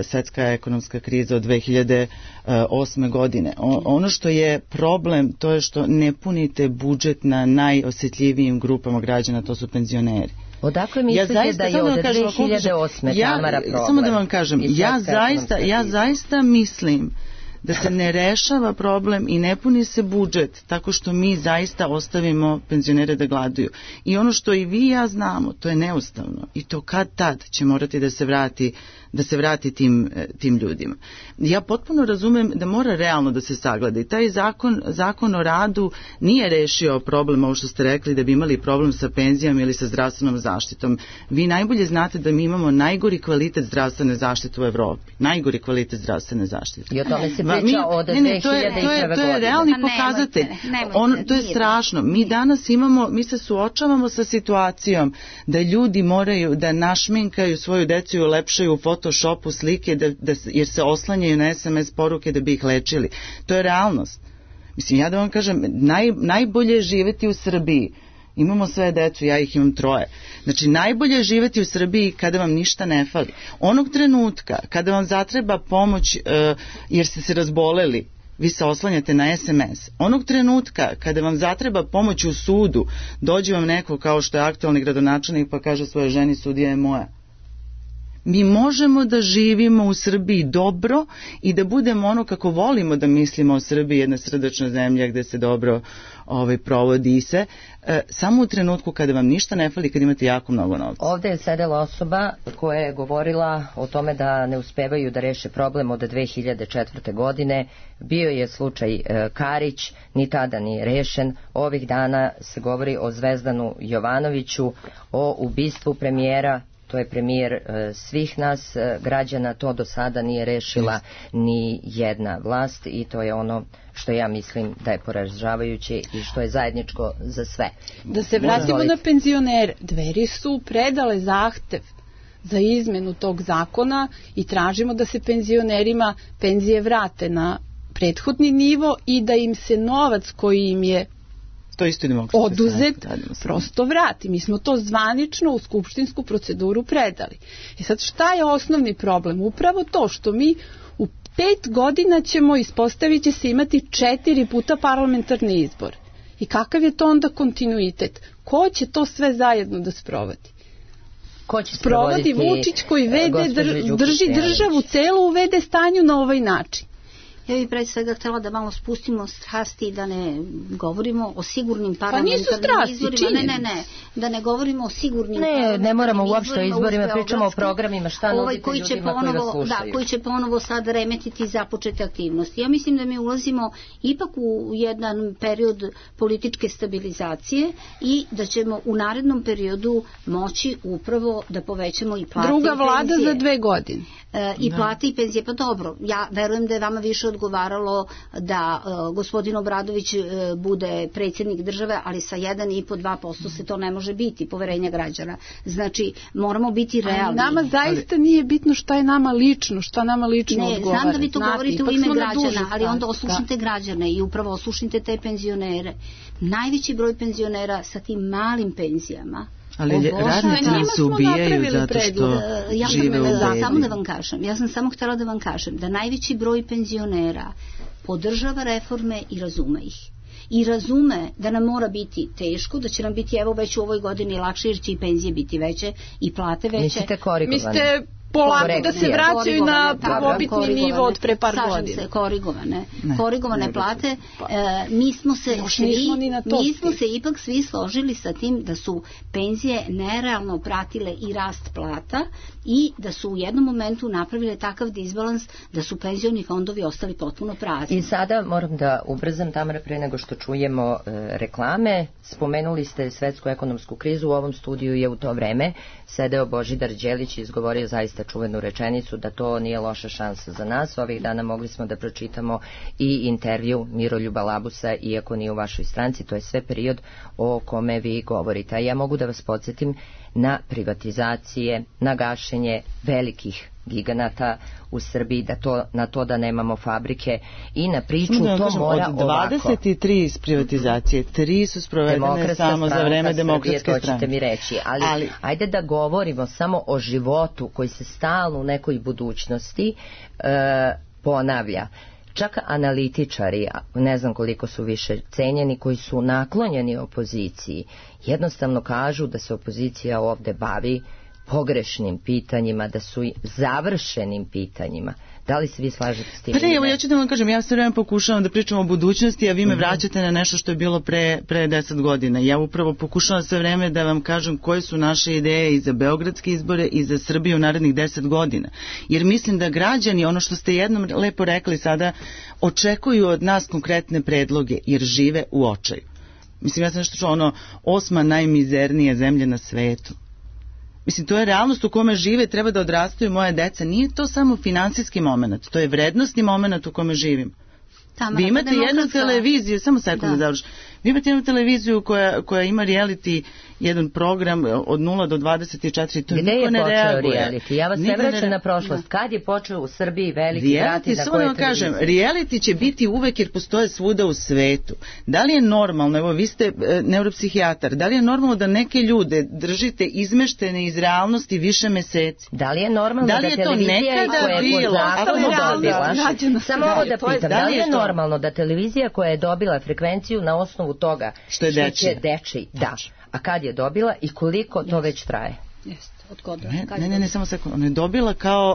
Speaker 4: svetska ekonomska kriza od 2008. godine. Ono što je problem, to je što ne punite budžet na najosjetljivijim grupama građana, to su penzioneri.
Speaker 2: Odakle mislite da je od 2008. Tamara problem?
Speaker 4: Samo da vam kažem, ja zaista mislim da se ne rešava problem i ne puni se budžet tako što mi zaista ostavimo penzionere da gladuju. I ono što i vi i ja znamo, to je neustavno i to kad tad će morati da se vrati tim ljudima. Ja potpuno razumem da mora realno da se sagleda i taj zakon o radu nije rešio problem, ovo što ste rekli, da bi imali problem sa penzijama ili sa zdravstvenom zaštitom. Vi najbolje znate da mi imamo najgori kvalitet zdravstvene zaštite u Evropi. Najgori kvalitet zdravstvene zaštite.
Speaker 2: I o tome se priča od 2001. godine.
Speaker 4: To je realni pokazatelj. To je strašno. Mi danas mi se suočavamo sa situacijom da ljudi moraju da našminkaju svoju decu i ulepšaju u Photoshopu slike jer se oslanjaju na SMS poruke da bi ih lečili. To je realnost. Mislim, ja da vam kažem, najbolje je živeti u Srbiji. Imamo sve decu, ja ih imam 3. Znači, najbolje je živeti u Srbiji kada vam ništa ne fali. Onog trenutka kada vam zatreba pomoć jer ste se razboleli, vi se oslanjate na SMS. Onog trenutka kada vam zatreba pomoć u sudu, dođe vam neko kao što je aktualni gradonačelnik pa kaže svojoj ženi, sudija je moja. Mi možemo da živimo u Srbiji dobro i da budemo ono kako volimo da mislimo o Srbiji, jedna srdačna zemlja gde se dobro provodi se, samo u trenutku kada vam ništa ne fali, kad imate jako mnogo novca.
Speaker 2: Ovde je sedela osoba koja je govorila o tome da ne uspevaju da reše problem od 2004. godine. Bio je slučaj Karić, ni tada nije rešen. Ovih dana se govori o Zvezdanu Jovanoviću, o ubistvu premijera. To je premijer svih nas građana, to do sada nije rešila ni jedna vlast i to je ono što ja mislim da je poražavajuće i što je zajedničko za sve.
Speaker 5: Da se vratimo na penzionere. Dveri su predale zahtev za izmenu tog zakona i tražimo da se penzionerima penzije vrate na prethodni nivo i da im se novac koji im je oduzet prosto vrati. Mi smo to zvanično u skupštinsku proceduru predali. I sad šta je osnovni problem? Upravo to što mi u 5 godina ispostavit će se imati 4 puta parlamentarni izbor. I kakav je to onda kontinuitet? Ko će to sve zajedno da sprovodi?
Speaker 2: Ko će
Speaker 5: sprovodi Vučić koji drži državu celu u VD stanju na ovaj način.
Speaker 3: Ja bih pre svega htjela da malo spustimo strasti i da ne govorimo o sigurnim parlamentarnim izborima. Da ne govorimo o sigurnim parlamentarnim izborima.
Speaker 2: Ne moramo uopšte o izborima, pričamo o programima, šta nudite ljudima koji vas slušaju.
Speaker 3: Koji će ponovo sad remetiti započete aktivnosti. Ja mislim da mi ulazimo ipak u jedan period političke stabilizacije i da ćemo u narednom periodu moći upravo da povećamo i plate i penzije.
Speaker 5: Druga vlada za 2 godine.
Speaker 3: I plate i penzije, pa dobro, ja verujem da je vama više odgovaralo da gospodin Obradović bude predsjednik države, ali sa 1,5-2% se to ne može biti, poverenja građana. Znači, moramo biti realni.
Speaker 5: Nama zaista nije bitno šta je nama lično, odgovara.
Speaker 3: Znam da vi to govorite u ime građana, ali onda oslušnite građane i upravo oslušnite te penzionere. Najveći broj penzionera sa tim malim penzijama.
Speaker 4: Ali radnici nam se ubijaju zato što žive u bedi.
Speaker 3: Ja sam samo htjela da vam kažem da najveći broj penzionera podržava reforme i razume ih. I razume da nam mora biti teško, da će nam biti evo već u ovoj godini lakše jer će i penzije biti veće i plate veće.
Speaker 2: Mislite korigovane?
Speaker 5: Polako da se vraćaju na prvobitni nivo od pre par godina.
Speaker 3: Slažem se, korigovane plate. Mi smo se ipak svi složili sa tim da su penzije nerealno pratile i rast plata i da su u jednom momentu napravile takav disbalans da su penzioni fondovi ostali potpuno prazni.
Speaker 2: I sada moram da ubrzam, Tamara, pre nego što čujemo reklame. Spomenuli ste svetsku ekonomsku krizu, u ovom studiju je u to vreme sedeo Božidar Đelić i izgovorio zaista znate čuvenu rečenicu da to nije loša šansa za nas. Ovih dana mogli smo da pročitamo i intervju Miroljuba Labusa, iako nije u vašoj stranci, to je sve period o kome vi govorite. A ja mogu da vas podsjetim na privatizacije, na gašenje velikih giganata u Srbiji, na to da nemamo fabrike i na priču to mora
Speaker 4: od 23 iz privatizacije 3 su sprovedene samo za vreme Demokratske stranke.
Speaker 2: To ćete mi reći, ali ajde da govorimo samo o životu koji se stalno u nekoj budućnosti ponavlja. Čak analitičari, ne znam koliko su više cenjeni, koji su naklonjeni opoziciji, jednostavno kažu da se opozicija ovde bavi pogrešnim pitanjima, da su završenim pitanjima. Da li se vi slažete s tim?
Speaker 4: Pa ne, evo ja ću da vam kažem, ja sve vreme pokušavam da pričam o budućnosti, a vi me vraćate na nešto što je bilo pre 10 godina. Ja upravo pokušavam sve vreme da vam kažem koje su naše ideje i za beogradske izbore i za Srbiju u narednih 10 godina. Jer mislim da građani, ono što ste jednom lepo rekli sada, očekuju od nas konkretne predloge, jer žive u očaju. Mislim, ja sam nešto čuo, 8. najmizernija zemlja na svetu. Mislim, to je realnost u kome žive, treba da odrastaju moje deca. Nije to samo finansijski moment, to je vrednostni moment u kome živim. Vi imate jednu televiziju, samo sekund da završim. Vi imate jednu televiziju koja ima reality, jedan program od 0 do 24, to niko ne reaguje.
Speaker 2: Gde je počeo reality? Ja vas ne vraćam na prošlost. Kad je počeo u Srbiji veliki vrati na koje televizije?
Speaker 4: Reality će biti uvek jer postoje svuda u svetu. Da li je normalno, evo vi ste neuropsihijatar, da li je normalno da neke ljude držite izmeštene iz realnosti više meseci?
Speaker 2: Da li je normalno da televizija koja je pod zakonom dobila, samo ovo da pitam, da li je normalno da televizija koja je dobila frekvenciju na osnovu toga što će dečiji, da, a kad je dobila i koliko to već traje?
Speaker 4: Ne, samo sekund. Ona je dobila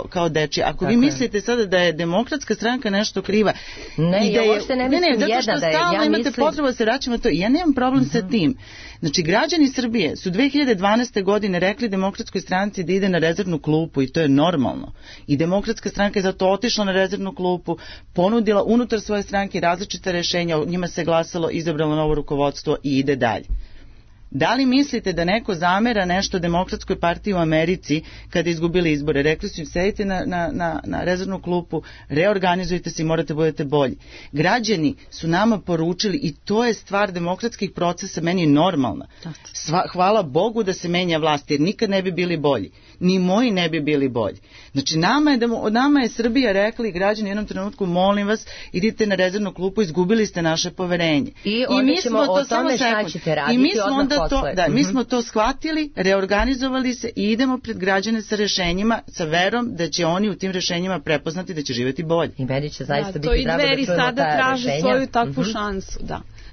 Speaker 4: kao dečija. Ako vi mislite sada da je Demokratska stranka nešto kriva,
Speaker 2: ne, ja uopšte ne mislim jedna da je.
Speaker 4: Zato što stalno imate potrebu da se vraćamo to. Ja nemam problem sa tim. Znači, građani Srbije su 2012. godine rekli Demokratskoj stranci da ide na rezervnu klupu i to je normalno. I Demokratska stranka je zato otišla na rezervnu klupu, ponudila unutar svoje stranke različite rešenja, o njima se glasalo, izabralo novo rukovodstvo i ide dalje. Da li mislite da neko zamera nešto Demokratskoj partiji u Americi kada izgubili izbore? Rekli su im, sedite na rezervnu klupu, reorganizujte se i morate budete bolji. Građani su nama poručili i to je stvar demokratskih procesa, meni je normalna. Hvala Bogu da se menja vlast, jer nikad ne bi bili bolji. Ni moji ne bi bili bolji. Znači, nama je Srbija rekli, građani u jednom trenutku, molim vas, idite na rezervnu klupu, izgubili ste naše poverenje.
Speaker 2: I onda ćemo o tome šta ćete raditi odmah.
Speaker 4: Mi smo to shvatili, reorganizovali se i idemo pred građane sa rešenjima, sa verom da će oni u tim rešenjima prepoznati da će živjeti bolje.
Speaker 2: I meni će zaista biti drago da čujemo ta rešenja.
Speaker 5: To i Dveri sada traže svoju takvu šansu,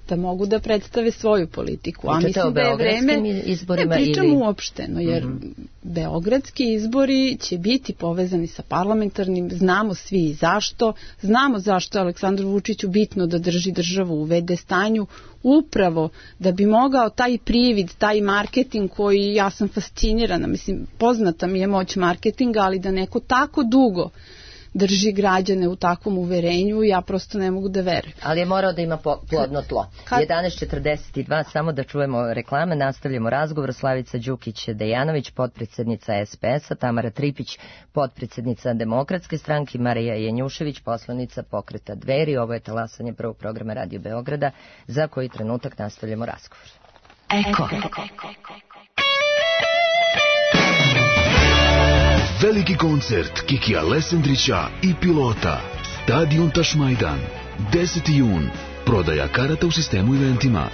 Speaker 5: da mogu da predstave svoju politiku. A mislim da je vreme, ne pričam uopšteno, jer beogradski izbori će biti povezani sa parlamentarnim, znamo svi zašto, znamo zašto je Aleksandru Vučiću bitno da drži državu u v.d. stanju, upravo da bi mogao taj privid, taj marketing koji ja sam fascinirana, mislim, poznata mi je moć marketinga, ali da neko tako dugo drži građane u takvom uverenju, ja prosto ne mogu da verujem.
Speaker 2: Ali je morao da ima plodno tlo. 11:42, samo da čujemo reklame, nastavljamo razgovor. Slavica Đukić-Dejanović, potpredsjednica SPS-a, Tamara Tripić, potpredsjednica Demokratske stranke, Marija Janjušević, poslanica Pokreta Dveri. Ovo je talasanje prvog programa Radio Beograda, za koji trenutak nastavljamo razgovor.
Speaker 6: Eko. Veliki koncert Kikija Lesendrića i Pilota. Stadion Tašmajdan. 10. jun. Prodaja karata u sistemu eventima.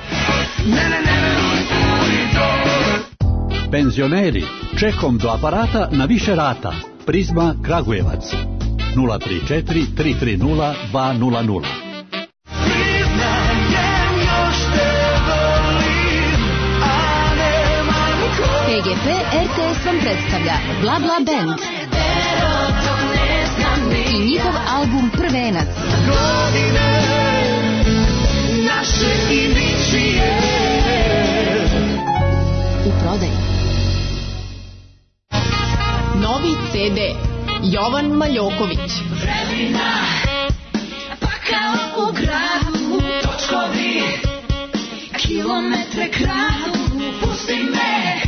Speaker 7: Penzioneri, čekom do aparata na više rata. Prizma Kragujevac. 034 330 200.
Speaker 8: PGP RTS vam predstavlja Bla Bla Band i njihov album Prvenac. U prodaju. Novi CD Jovan Maljoković.
Speaker 9: Vremena, pa kao u gradu, točkovi, kilometre kradu, pusti me.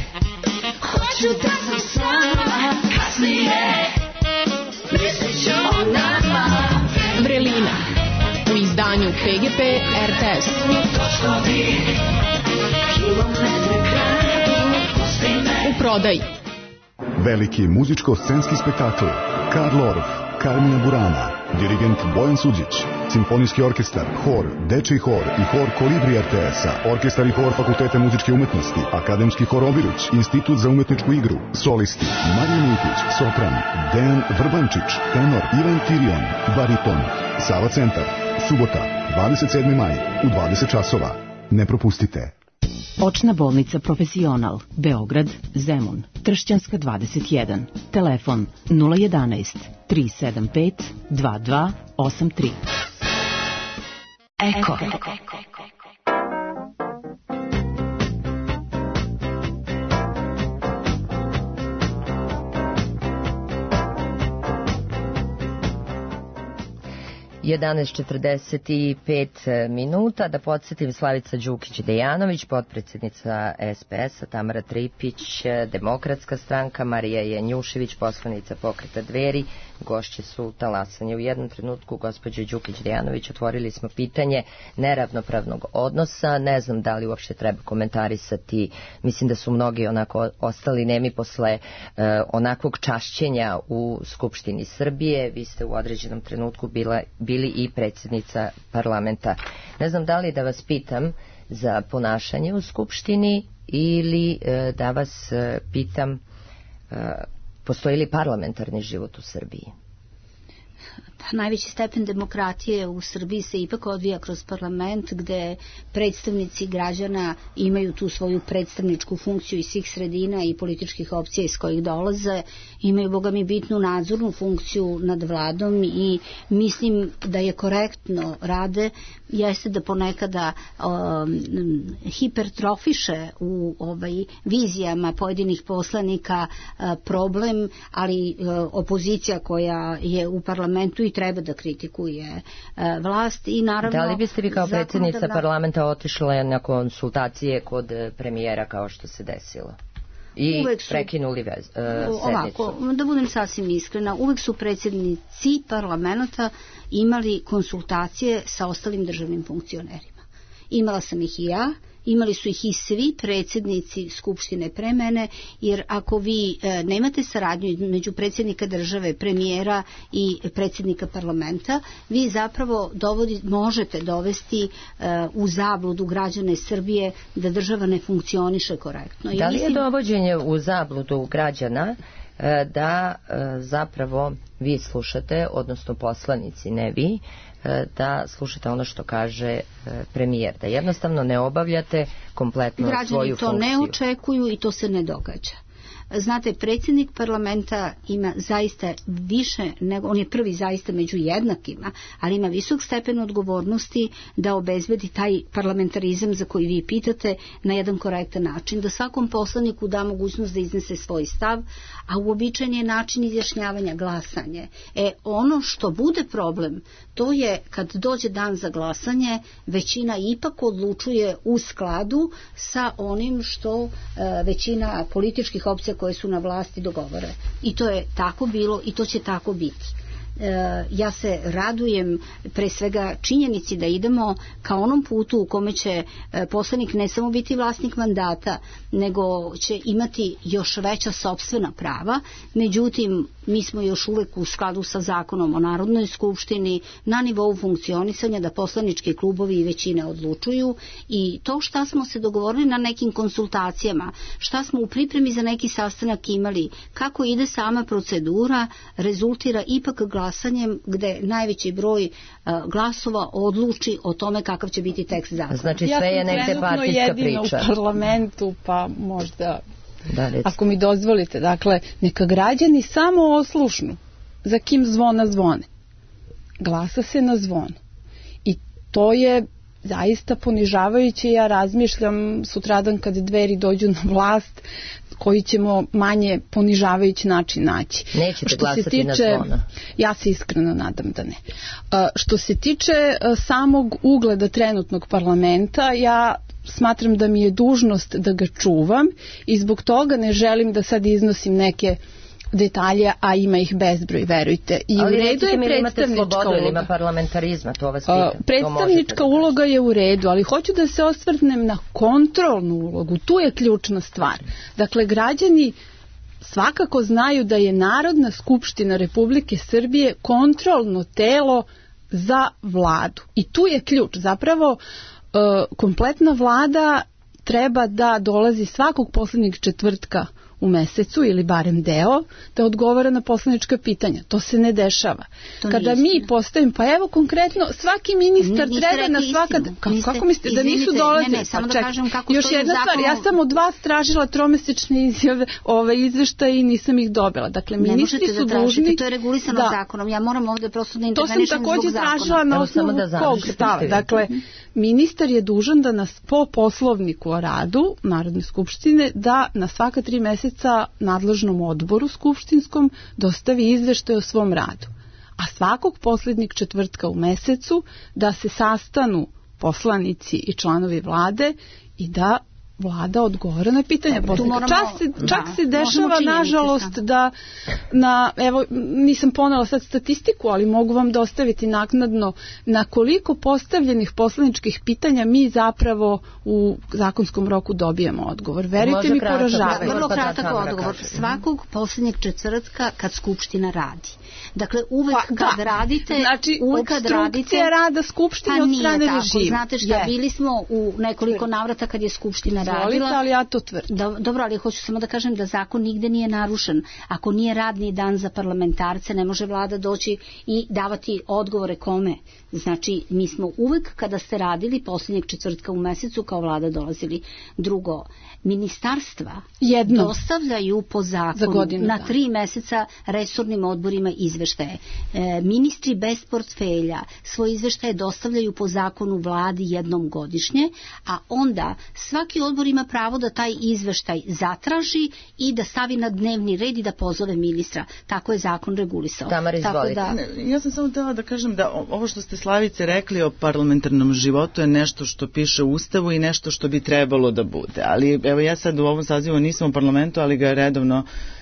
Speaker 9: Hoću da sam sama kasnije.
Speaker 5: PGP RTS. U prodaji.
Speaker 10: Veliki muzičko-scenski spektakl Karl Orff, Carmina Burana, dirigent Bojan Suđić, simfonijski orkestar, hor, dečiji hor i hor Kolibri RTS-a, orkestar i hor Fakulteta muzičke umetnosti, akademski hor Obiruć, institut za umetničku igru, solisti Marija Miljkić, sopran, Dejan Vrbančić, tenor Ivan Tirion, bariton, Sava centar, subota, 27. maj, u 20 časova. Ne propustite.
Speaker 11: Očna bolnica Profesional, Beograd, Zemun, Tršćanska 21, telefon 011 375 2283. Eko.
Speaker 2: 11:45 minuta. Da podsjetim, Slavica Đukić-Dejanović, potpredsjednica SPS-a, Tamara Tripić, Demokratska stranka, Marija Janjušević, poslanica Pokreta Dveri, gošće su talasanje. U jednom trenutku, gospođo Đukić-Dejanović, otvorili smo pitanje neravnopravnog odnosa. Ne znam da li uopšte treba komentarisati. Mislim da su mnogi onako ostali nemi posle onakvog čašćenja u Skupštini Srbije. Vi ste u određenom trenutku bili i predsjednica parlamenta. Ne znam da li da vas pitam za ponašanje u Skupštini ili da vas pitam postoji li parlamentarni život u Srbiji?
Speaker 3: Najveći stepen demokratije u Srbiji se ipak odvija kroz parlament, gde predstavnici građana imaju tu svoju predstavničku funkciju iz svih sredina i političkih opcija iz kojih dolaze, imaju, boga mi, bitnu nadzornu funkciju nad vladom i mislim da je korektno rade, jeste da ponekada hipertrofiše u vizijama pojedinih poslanika problem, ali opozicija koja je u parlamentu i treba da kritikuje vlast i naravno...
Speaker 2: Da li biste vi kao predsjednica parlamenta otišla na konsultacije kod premijera kao što se desilo? I prekinuli sednicu?
Speaker 3: Ovako, da budem sasvim iskrena, uvek su predsjednici parlamenta imali konsultacije sa ostalim državnim funkcionerima. Imala sam ih i ja, imali su ih i svi predsjednici Skupštine pre mene, jer ako vi nemate saradnju među predsjednika države, premijera i predsjednika parlamenta, vi zapravo možete dovesti u zabludu građane Srbije da država ne funkcioniše korektno.
Speaker 2: Da li je dovođenje u zabludu građana da zapravo vi slušate, odnosno poslanici, ne vi, da slušate ono što kaže premijer, da jednostavno ne obavljate kompletno svoju funkciju?
Speaker 3: Građani to ne očekuju i to se ne događa. Znate, predsjednik parlamenta ima zaista više, nego on je prvi zaista među jednakima, ali ima visok stepen odgovornosti da obezbedi taj parlamentarizam za koji vi pitate na jedan korektan način, da svakom poslaniku da mogućnost da iznese svoj stav, a uobičajen je način izjašnjavanja glasanje. Ono što bude problem, to je kad dođe dan za glasanje, većina ipak odlučuje u skladu sa onim što većina političkih opcija koje su na vlasti dogovore. I to je tako bilo i to će tako biti. Ja se radujem pre svega činjenici da idemo ka onom putu u kome će poslanik ne samo biti vlasnik mandata, nego će imati još veća sopstvena prava. Međutim, mi smo još uvek u skladu sa zakonom o Narodnoj skupštini na nivou funkcionisanja da poslanički klubovi i većine odlučuju i to šta smo se dogovorili na nekim konsultacijama, šta smo u pripremi za neki sastanak imali, kako ide sama procedura, rezultira ipak glasanjem gde najveći broj glasova odluči o tome kakav će biti tekst zakona.
Speaker 2: Znači sve je negde partijska priča.
Speaker 5: Ja sam trenutno jedina u parlamentu, pa možda... Ako mi dozvolite, dakle, neka građani samo oslušnu za kim zvona zvone. Glasa se na zvon. I to je zaista ponižavajuće. Ja razmišljam sutradan kad Dveri dođu na vlast koji ćemo manje ponižavajući način naći.
Speaker 2: Nećete glasati na zvona?
Speaker 5: Ja se iskreno nadam da ne. Što se tiče samog ugleda trenutnog parlamenta, ja smatram da mi je dužnost da ga čuvam i zbog toga ne želim da sad iznosim neke detalje, a ima ih bezbroj, verujte. I
Speaker 2: ali
Speaker 5: u redu je predstavnička uloga.
Speaker 2: Ili ima parlamentarizma, to vas pitam.
Speaker 5: Predstavnička uloga je u redu, ali hoću da se osvrnem na kontrolnu ulogu. Tu je ključna stvar. Dakle, građani svakako znaju da je Narodna skupština Republike Srbije kontrolno telo za vladu. I tu je ključ. Zapravo, kompletna vlada treba da dolazi svakog poslednjeg četvrtka u mesecu ili barem deo da odgovara na poslanička pitanja. To se ne dešava. Kada mi postavimo, pa evo konkretno svaki ministar treba na svaka... Kako mislite da nisu dolazili?
Speaker 3: Ne, samo da kažem kako
Speaker 5: još jedna stvar, ja sam od vas tražila tromesečne izjave, izveštaje i nisam ih dobila. Dakle, ministri su dužni...
Speaker 3: To je regulisano zakonom. Ja moram ovde prosto da intervenišem zbog zakona.
Speaker 5: To sam takođe tražila na osnovu kog stava. Dakle, ministar je dužan da nas po poslovniku o radu Narodne skupštine da na svaka 3 meseca nadležnom odboru skupštinskom dostavi izveštaj o svom radu. A svakog poslednjeg četvrtka u mesecu da se sastanu poslanici i članovi vlade i da vlada odgovara na pitanja. Čak se dešava, nažalost, da evo, nisam ponela sad statistiku, ali mogu vam dostaviti naknadno na koliko postavljenih poslaničkih pitanja mi zapravo u zakonskom roku dobijemo odgovor. Verujte mi, poražavaju.
Speaker 3: Vrlo kratak odgovor. Svakog poslednjeg četvrtka kad Skupština radi. Dakle, uvek kad radite...
Speaker 5: Znači, obstrukcija rada Skupštine od strane režima.
Speaker 3: Znate šta, bili smo u nekoliko navrata kad je Skupština radila.
Speaker 5: Ali ja to tvrdim.
Speaker 3: Dobro, ali hoću samo da kažem da zakon nigde nije narušen. Ako nije radni dan za parlamentarce, ne može vlada doći i davati odgovore kome. Znači, mi smo uvek kada ste radili poslednjeg četvrtka u mesecu kao vlada dolazili. Drugo, ministarstva dostavljaju po zakonu na 3 meseca resornim odborima izveštaje. Ministri bez portfelja svoje izveštaje dostavljaju po zakonu vladi jednom godišnje, a onda svaki odbor ima pravo da taj izveštaj zatraži i da stavi na dnevni red i da pozove ministra. Tako je zakon regulisao.
Speaker 2: Tamara, izvolite.
Speaker 4: Ja sam samo htjela da kažem da ovo što ste, Slavice, rekli o parlamentarnom životu je nešto što piše u Ustavu i nešto što bi trebalo da bude. Ali evo, ja sad u ovom sazivu nisam u parlamentu, ali ga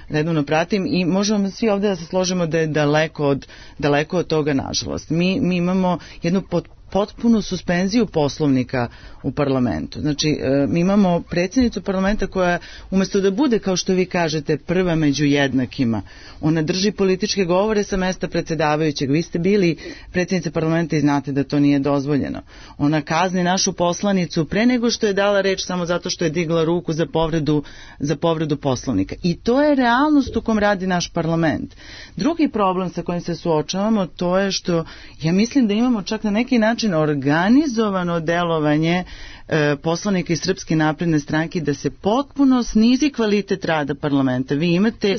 Speaker 4: redovno pratim i možemo svi ovde da se složimo da je daleko od toga, nažalost. Mi imamo jednu potpunu suspenziju poslovnika u parlamentu. Znači, mi imamo predsjednicu parlamenta koja, umjesto da bude, kao što vi kažete, prva među jednakima, ona drži političke govore sa mesta predsjedavajućeg. Vi ste bili predsjednica parlamenta i znate da to nije dozvoljeno. Ona kazni našu poslanicu pre nego što je dala reč samo zato što je digla ruku za povredu poslovnika. I to je realnost u kom radi naš parlament. Drugi problem sa kojim se suočavamo, to je što ja mislim da imamo čak na neki način organizovano delovanje poslanika iz Srpske napredne stranke da se potpuno snizi kvalitet rada parlamenta. Vi imate da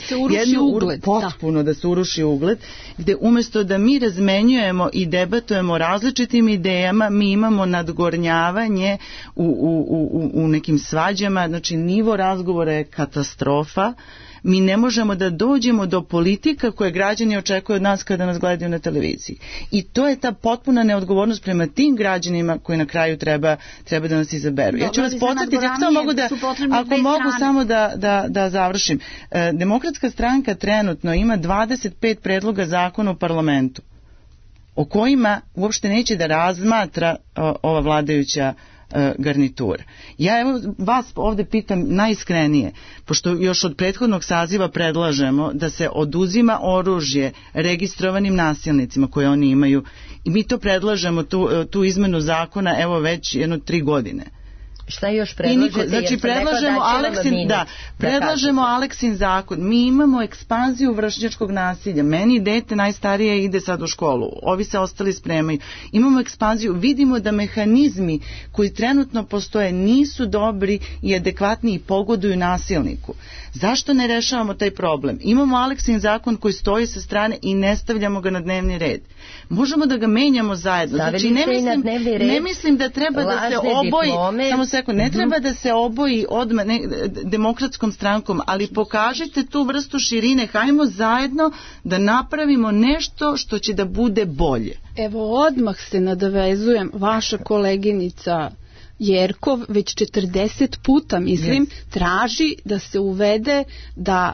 Speaker 4: se uruši ugled, gde umjesto da mi razmenjujemo i debatujemo različitim idejama, mi imamo nadgornjavanje u nekim svađama, znači nivo razgovora je katastrofa. Mi ne možemo da dođemo do politika koje građani očekuju od nas kada nas gledaju na televiziji. I to je ta potpuna neodgovornost prema tim građanima koji na kraju treba da nas izaberu. Ja ću vas podsjetiti, ako mogu samo da završim. Demokratska stranka trenutno ima 25 predloga zakona u parlamentu o kojima uopšte neće da razmatra ova vladajuća garnitura. Ja evo vas ovde pitam najiskrenije, pošto još od prethodnog saziva predlažemo da se oduzima oružje registrovanim nasilnicima koje oni imaju i mi to predlažemo, tu izmenu zakona, evo već 3 godine.
Speaker 2: Šta još predlažete?
Speaker 4: Znači predlažemo Aleksin zakon. Mi imamo ekspanziju vršnjačkog nasilja. Meni dete najstarije ide sad u školu. Ovi se ostali spremaju. Imamo ekspanziju. Vidimo da mehanizmi koji trenutno postoje nisu dobri i adekvatni i pogoduju nasilniku. Zašto ne rešavamo taj problem? Imamo Aleksin zakon koji stoji sa strane i ne stavljamo ga na dnevni red. Možemo da ga menjamo zajedno. Znači, ne mislim da treba da se oboji, samo sekund, ne treba da se oboji odmah demokratskom strankom, ali pokažite tu vrstu širine, hajmo zajedno da napravimo nešto što će da bude bolje.
Speaker 5: Evo, odmah se nadovezujem, vaša koleginica Jerkov već 40 puta, mislim, traži da se uvede da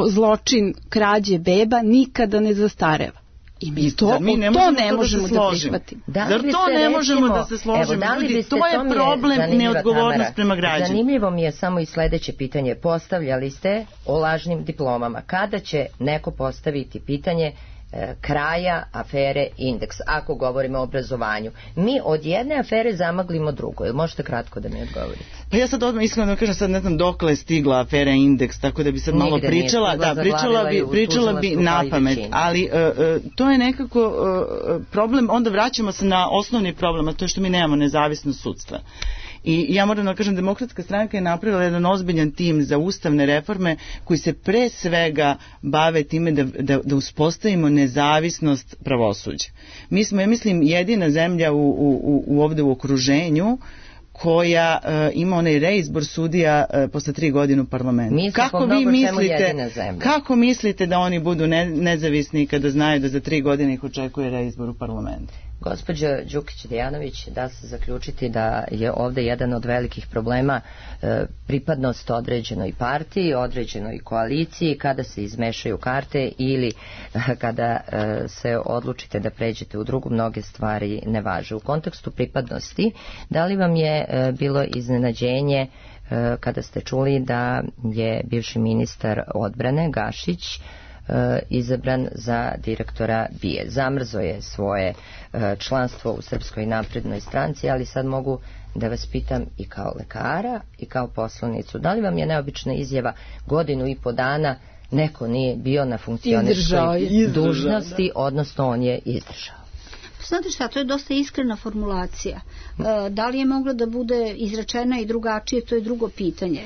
Speaker 5: zločin krađe beba nikada ne zastareva. I mi to ne možemo da prihvatimo.
Speaker 4: Zar to ne možemo da se složimo? Ljudi, to je problem neodgovornost prema građanima.
Speaker 2: Zanimljivo mi je samo i sledeće pitanje. Postavljali ste o lažnim diplomama. Kada će neko postaviti pitanje kraja afere Indeks, ako govorimo o obrazovanju? Mi od jedne afere zamaglimo drugo. Ili možete kratko da mi odgovorite?
Speaker 4: Pa ja sad odmah iskreno da kažem, sad ne znam dokle je stigla afera Indeks, tako da bi sad malo pričala, pričala bi na pamet, ali to je nekako problem, onda vraćamo se na osnovni problem, a to je što mi nemamo nezavisnost sudstva. I ja moram da kažem, Demokratska stranka je napravila jedan ozbiljan tim za ustavne reforme koji se pre svega bave time da uspostavimo nezavisnost pravosuđa. Mi smo, ja mislim, jedina zemlja ovde u okruženju koja ima onaj reizbor sudija posle 3 godine u parlamentu. Kako mislite da oni budu nezavisni kada znaju da za 3 godine ih očekuje reizbor u parlamentu?
Speaker 2: Gospođa Đukić-Dejanović, da se zaključiti da je ovde jedan od velikih problema pripadnost određenoj partiji, određenoj koaliciji, kada se izmešaju karte ili kada se odlučite da pređete u drugu, mnoge stvari ne važe. U kontekstu pripadnosti, da li vam je bilo iznenađenje kada ste čuli da je bivši ministar odbrane Gašić izabran za direktora BIA? Zamrzo je svoje članstvo u Srpskoj naprednoj stranci, ali sad mogu da vas pitam i kao lekara i kao poslanicu, da li vam je neobična izjava 1,5 dana neko nije bio na funkcionerskoj dužnosti, odnosno on je izdržao?
Speaker 3: Znate šta, to je dosta iskrena formulacija. Da li je mogla da bude izrečena i drugačije, to je drugo pitanje.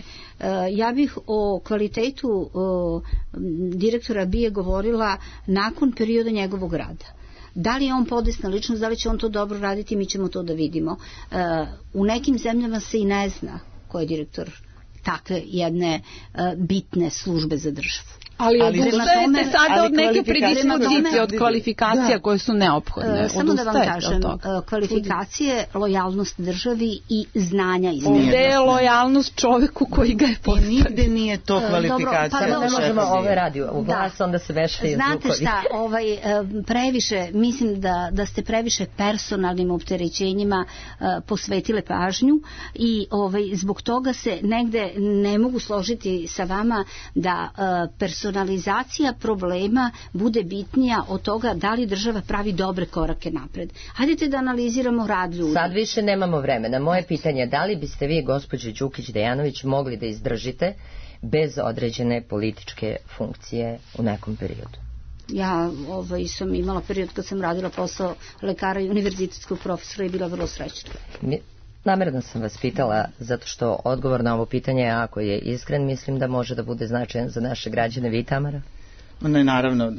Speaker 3: Ja bih o kvalitetu direktora BIA govorila nakon perioda njegovog rada. Da li je on podesna ličnost, da li će on to dobro raditi, mi ćemo to da vidimo. U nekim zemljama se i ne zna ko je direktor takve jedne bitne službe za državu.
Speaker 5: Ali odustajete sada od neke predispozicije, od kvalifikacija koje su neophodne.
Speaker 3: Samo da vam kažem, kvalifikacije, lojalnost državi i znanja između.
Speaker 5: Ovde je lojalnost čoveku koji ga je postavio.
Speaker 4: Nigde nije to kvalifikacija.
Speaker 2: Ne možemo ove radio u glas, onda se veštaju zvukovi.
Speaker 3: Znate šta, previše, mislim da ste previše personalnim opterećenjima posvetile pažnju i zbog toga se negde ne mogu složiti sa vama da personalizacija problema bude bitnija od toga da li država pravi dobre korake napred. Hajdete da analiziramo rad ljudi.
Speaker 2: Sad više nemamo vremena. Moje pitanje je da li biste vi, gospođo Đukić-Dejanović, mogli da izdržite bez određene političke funkcije u nekom periodu?
Speaker 3: Ja sam imala period kad sam radila posao lekara i univerzitetskog profesora i bila vrlo srećna.
Speaker 2: Namerno sam vas pitala zato što odgovor na ovo pitanje, ako je iskren, mislim da može da bude značajan za naše građane. Vi, Tamara?
Speaker 4: Ne, naravno,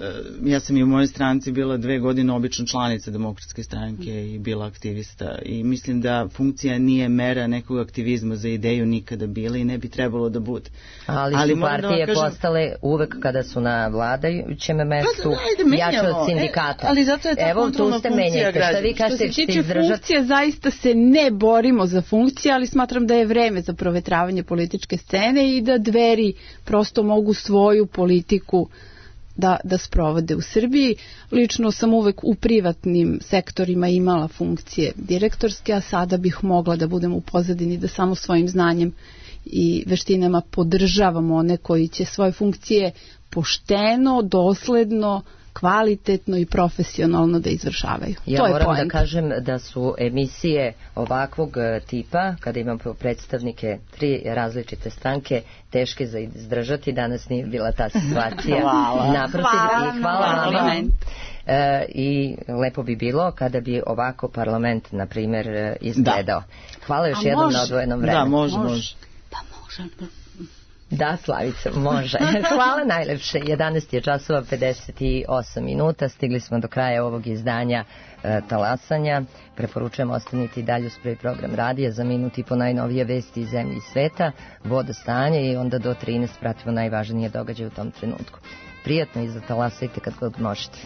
Speaker 4: ja sam i u mojoj stranci bila 2 godine obično članica Demokratske stranke i bila aktivista i mislim da funkcija nije mera nekog aktivizma za ideju nikada bila i ne bi trebalo da bude.
Speaker 2: Ali su partije postale uvek kada su na vladajućem mestu jače od sindikata.
Speaker 4: Ali zato je ta kontrolna funkcija građana.
Speaker 5: Što se tiče funkcije, zaista se ne borimo za funkcije, ali smatram da je vreme za provetravanje političke scene i da Dveri prosto mogu svoju politiku da sprovode u Srbiji. Lično sam uvek u privatnim sektorima imala funkcije direktorske, a sada bih mogla da budem u pozadini, da samo svojim znanjem i veštinama podržavam one koji će svoje funkcije pošteno, dosledno, kvalitetno i profesionalno da izvršavaju.
Speaker 2: Ja moram da kažem da su emisije ovakvog tipa, kada imam predstavnike 3 različite stranke, teške za izdržati. Danas nije bila ta situacija. Hvala vama. I lepo bi bilo kada bi ovako parlament, na primjer, izgledao. Hvala još jednom na odvojenom vremenu.
Speaker 4: Da, može.
Speaker 3: Pa može.
Speaker 2: Da, Slavica, može. Hvala najlepše. 11 je časova 58 minuta. Stigli smo do kraja ovog izdanja Talasanja. Preporučujem ostaniti dalje uz prvi program radija za minut i po najnovije vesti iz zemlje i sveta, vodostanje i onda do 13 pratimo najvažnije događaje u tom trenutku. Prijatno i zatalasajte kad god možete.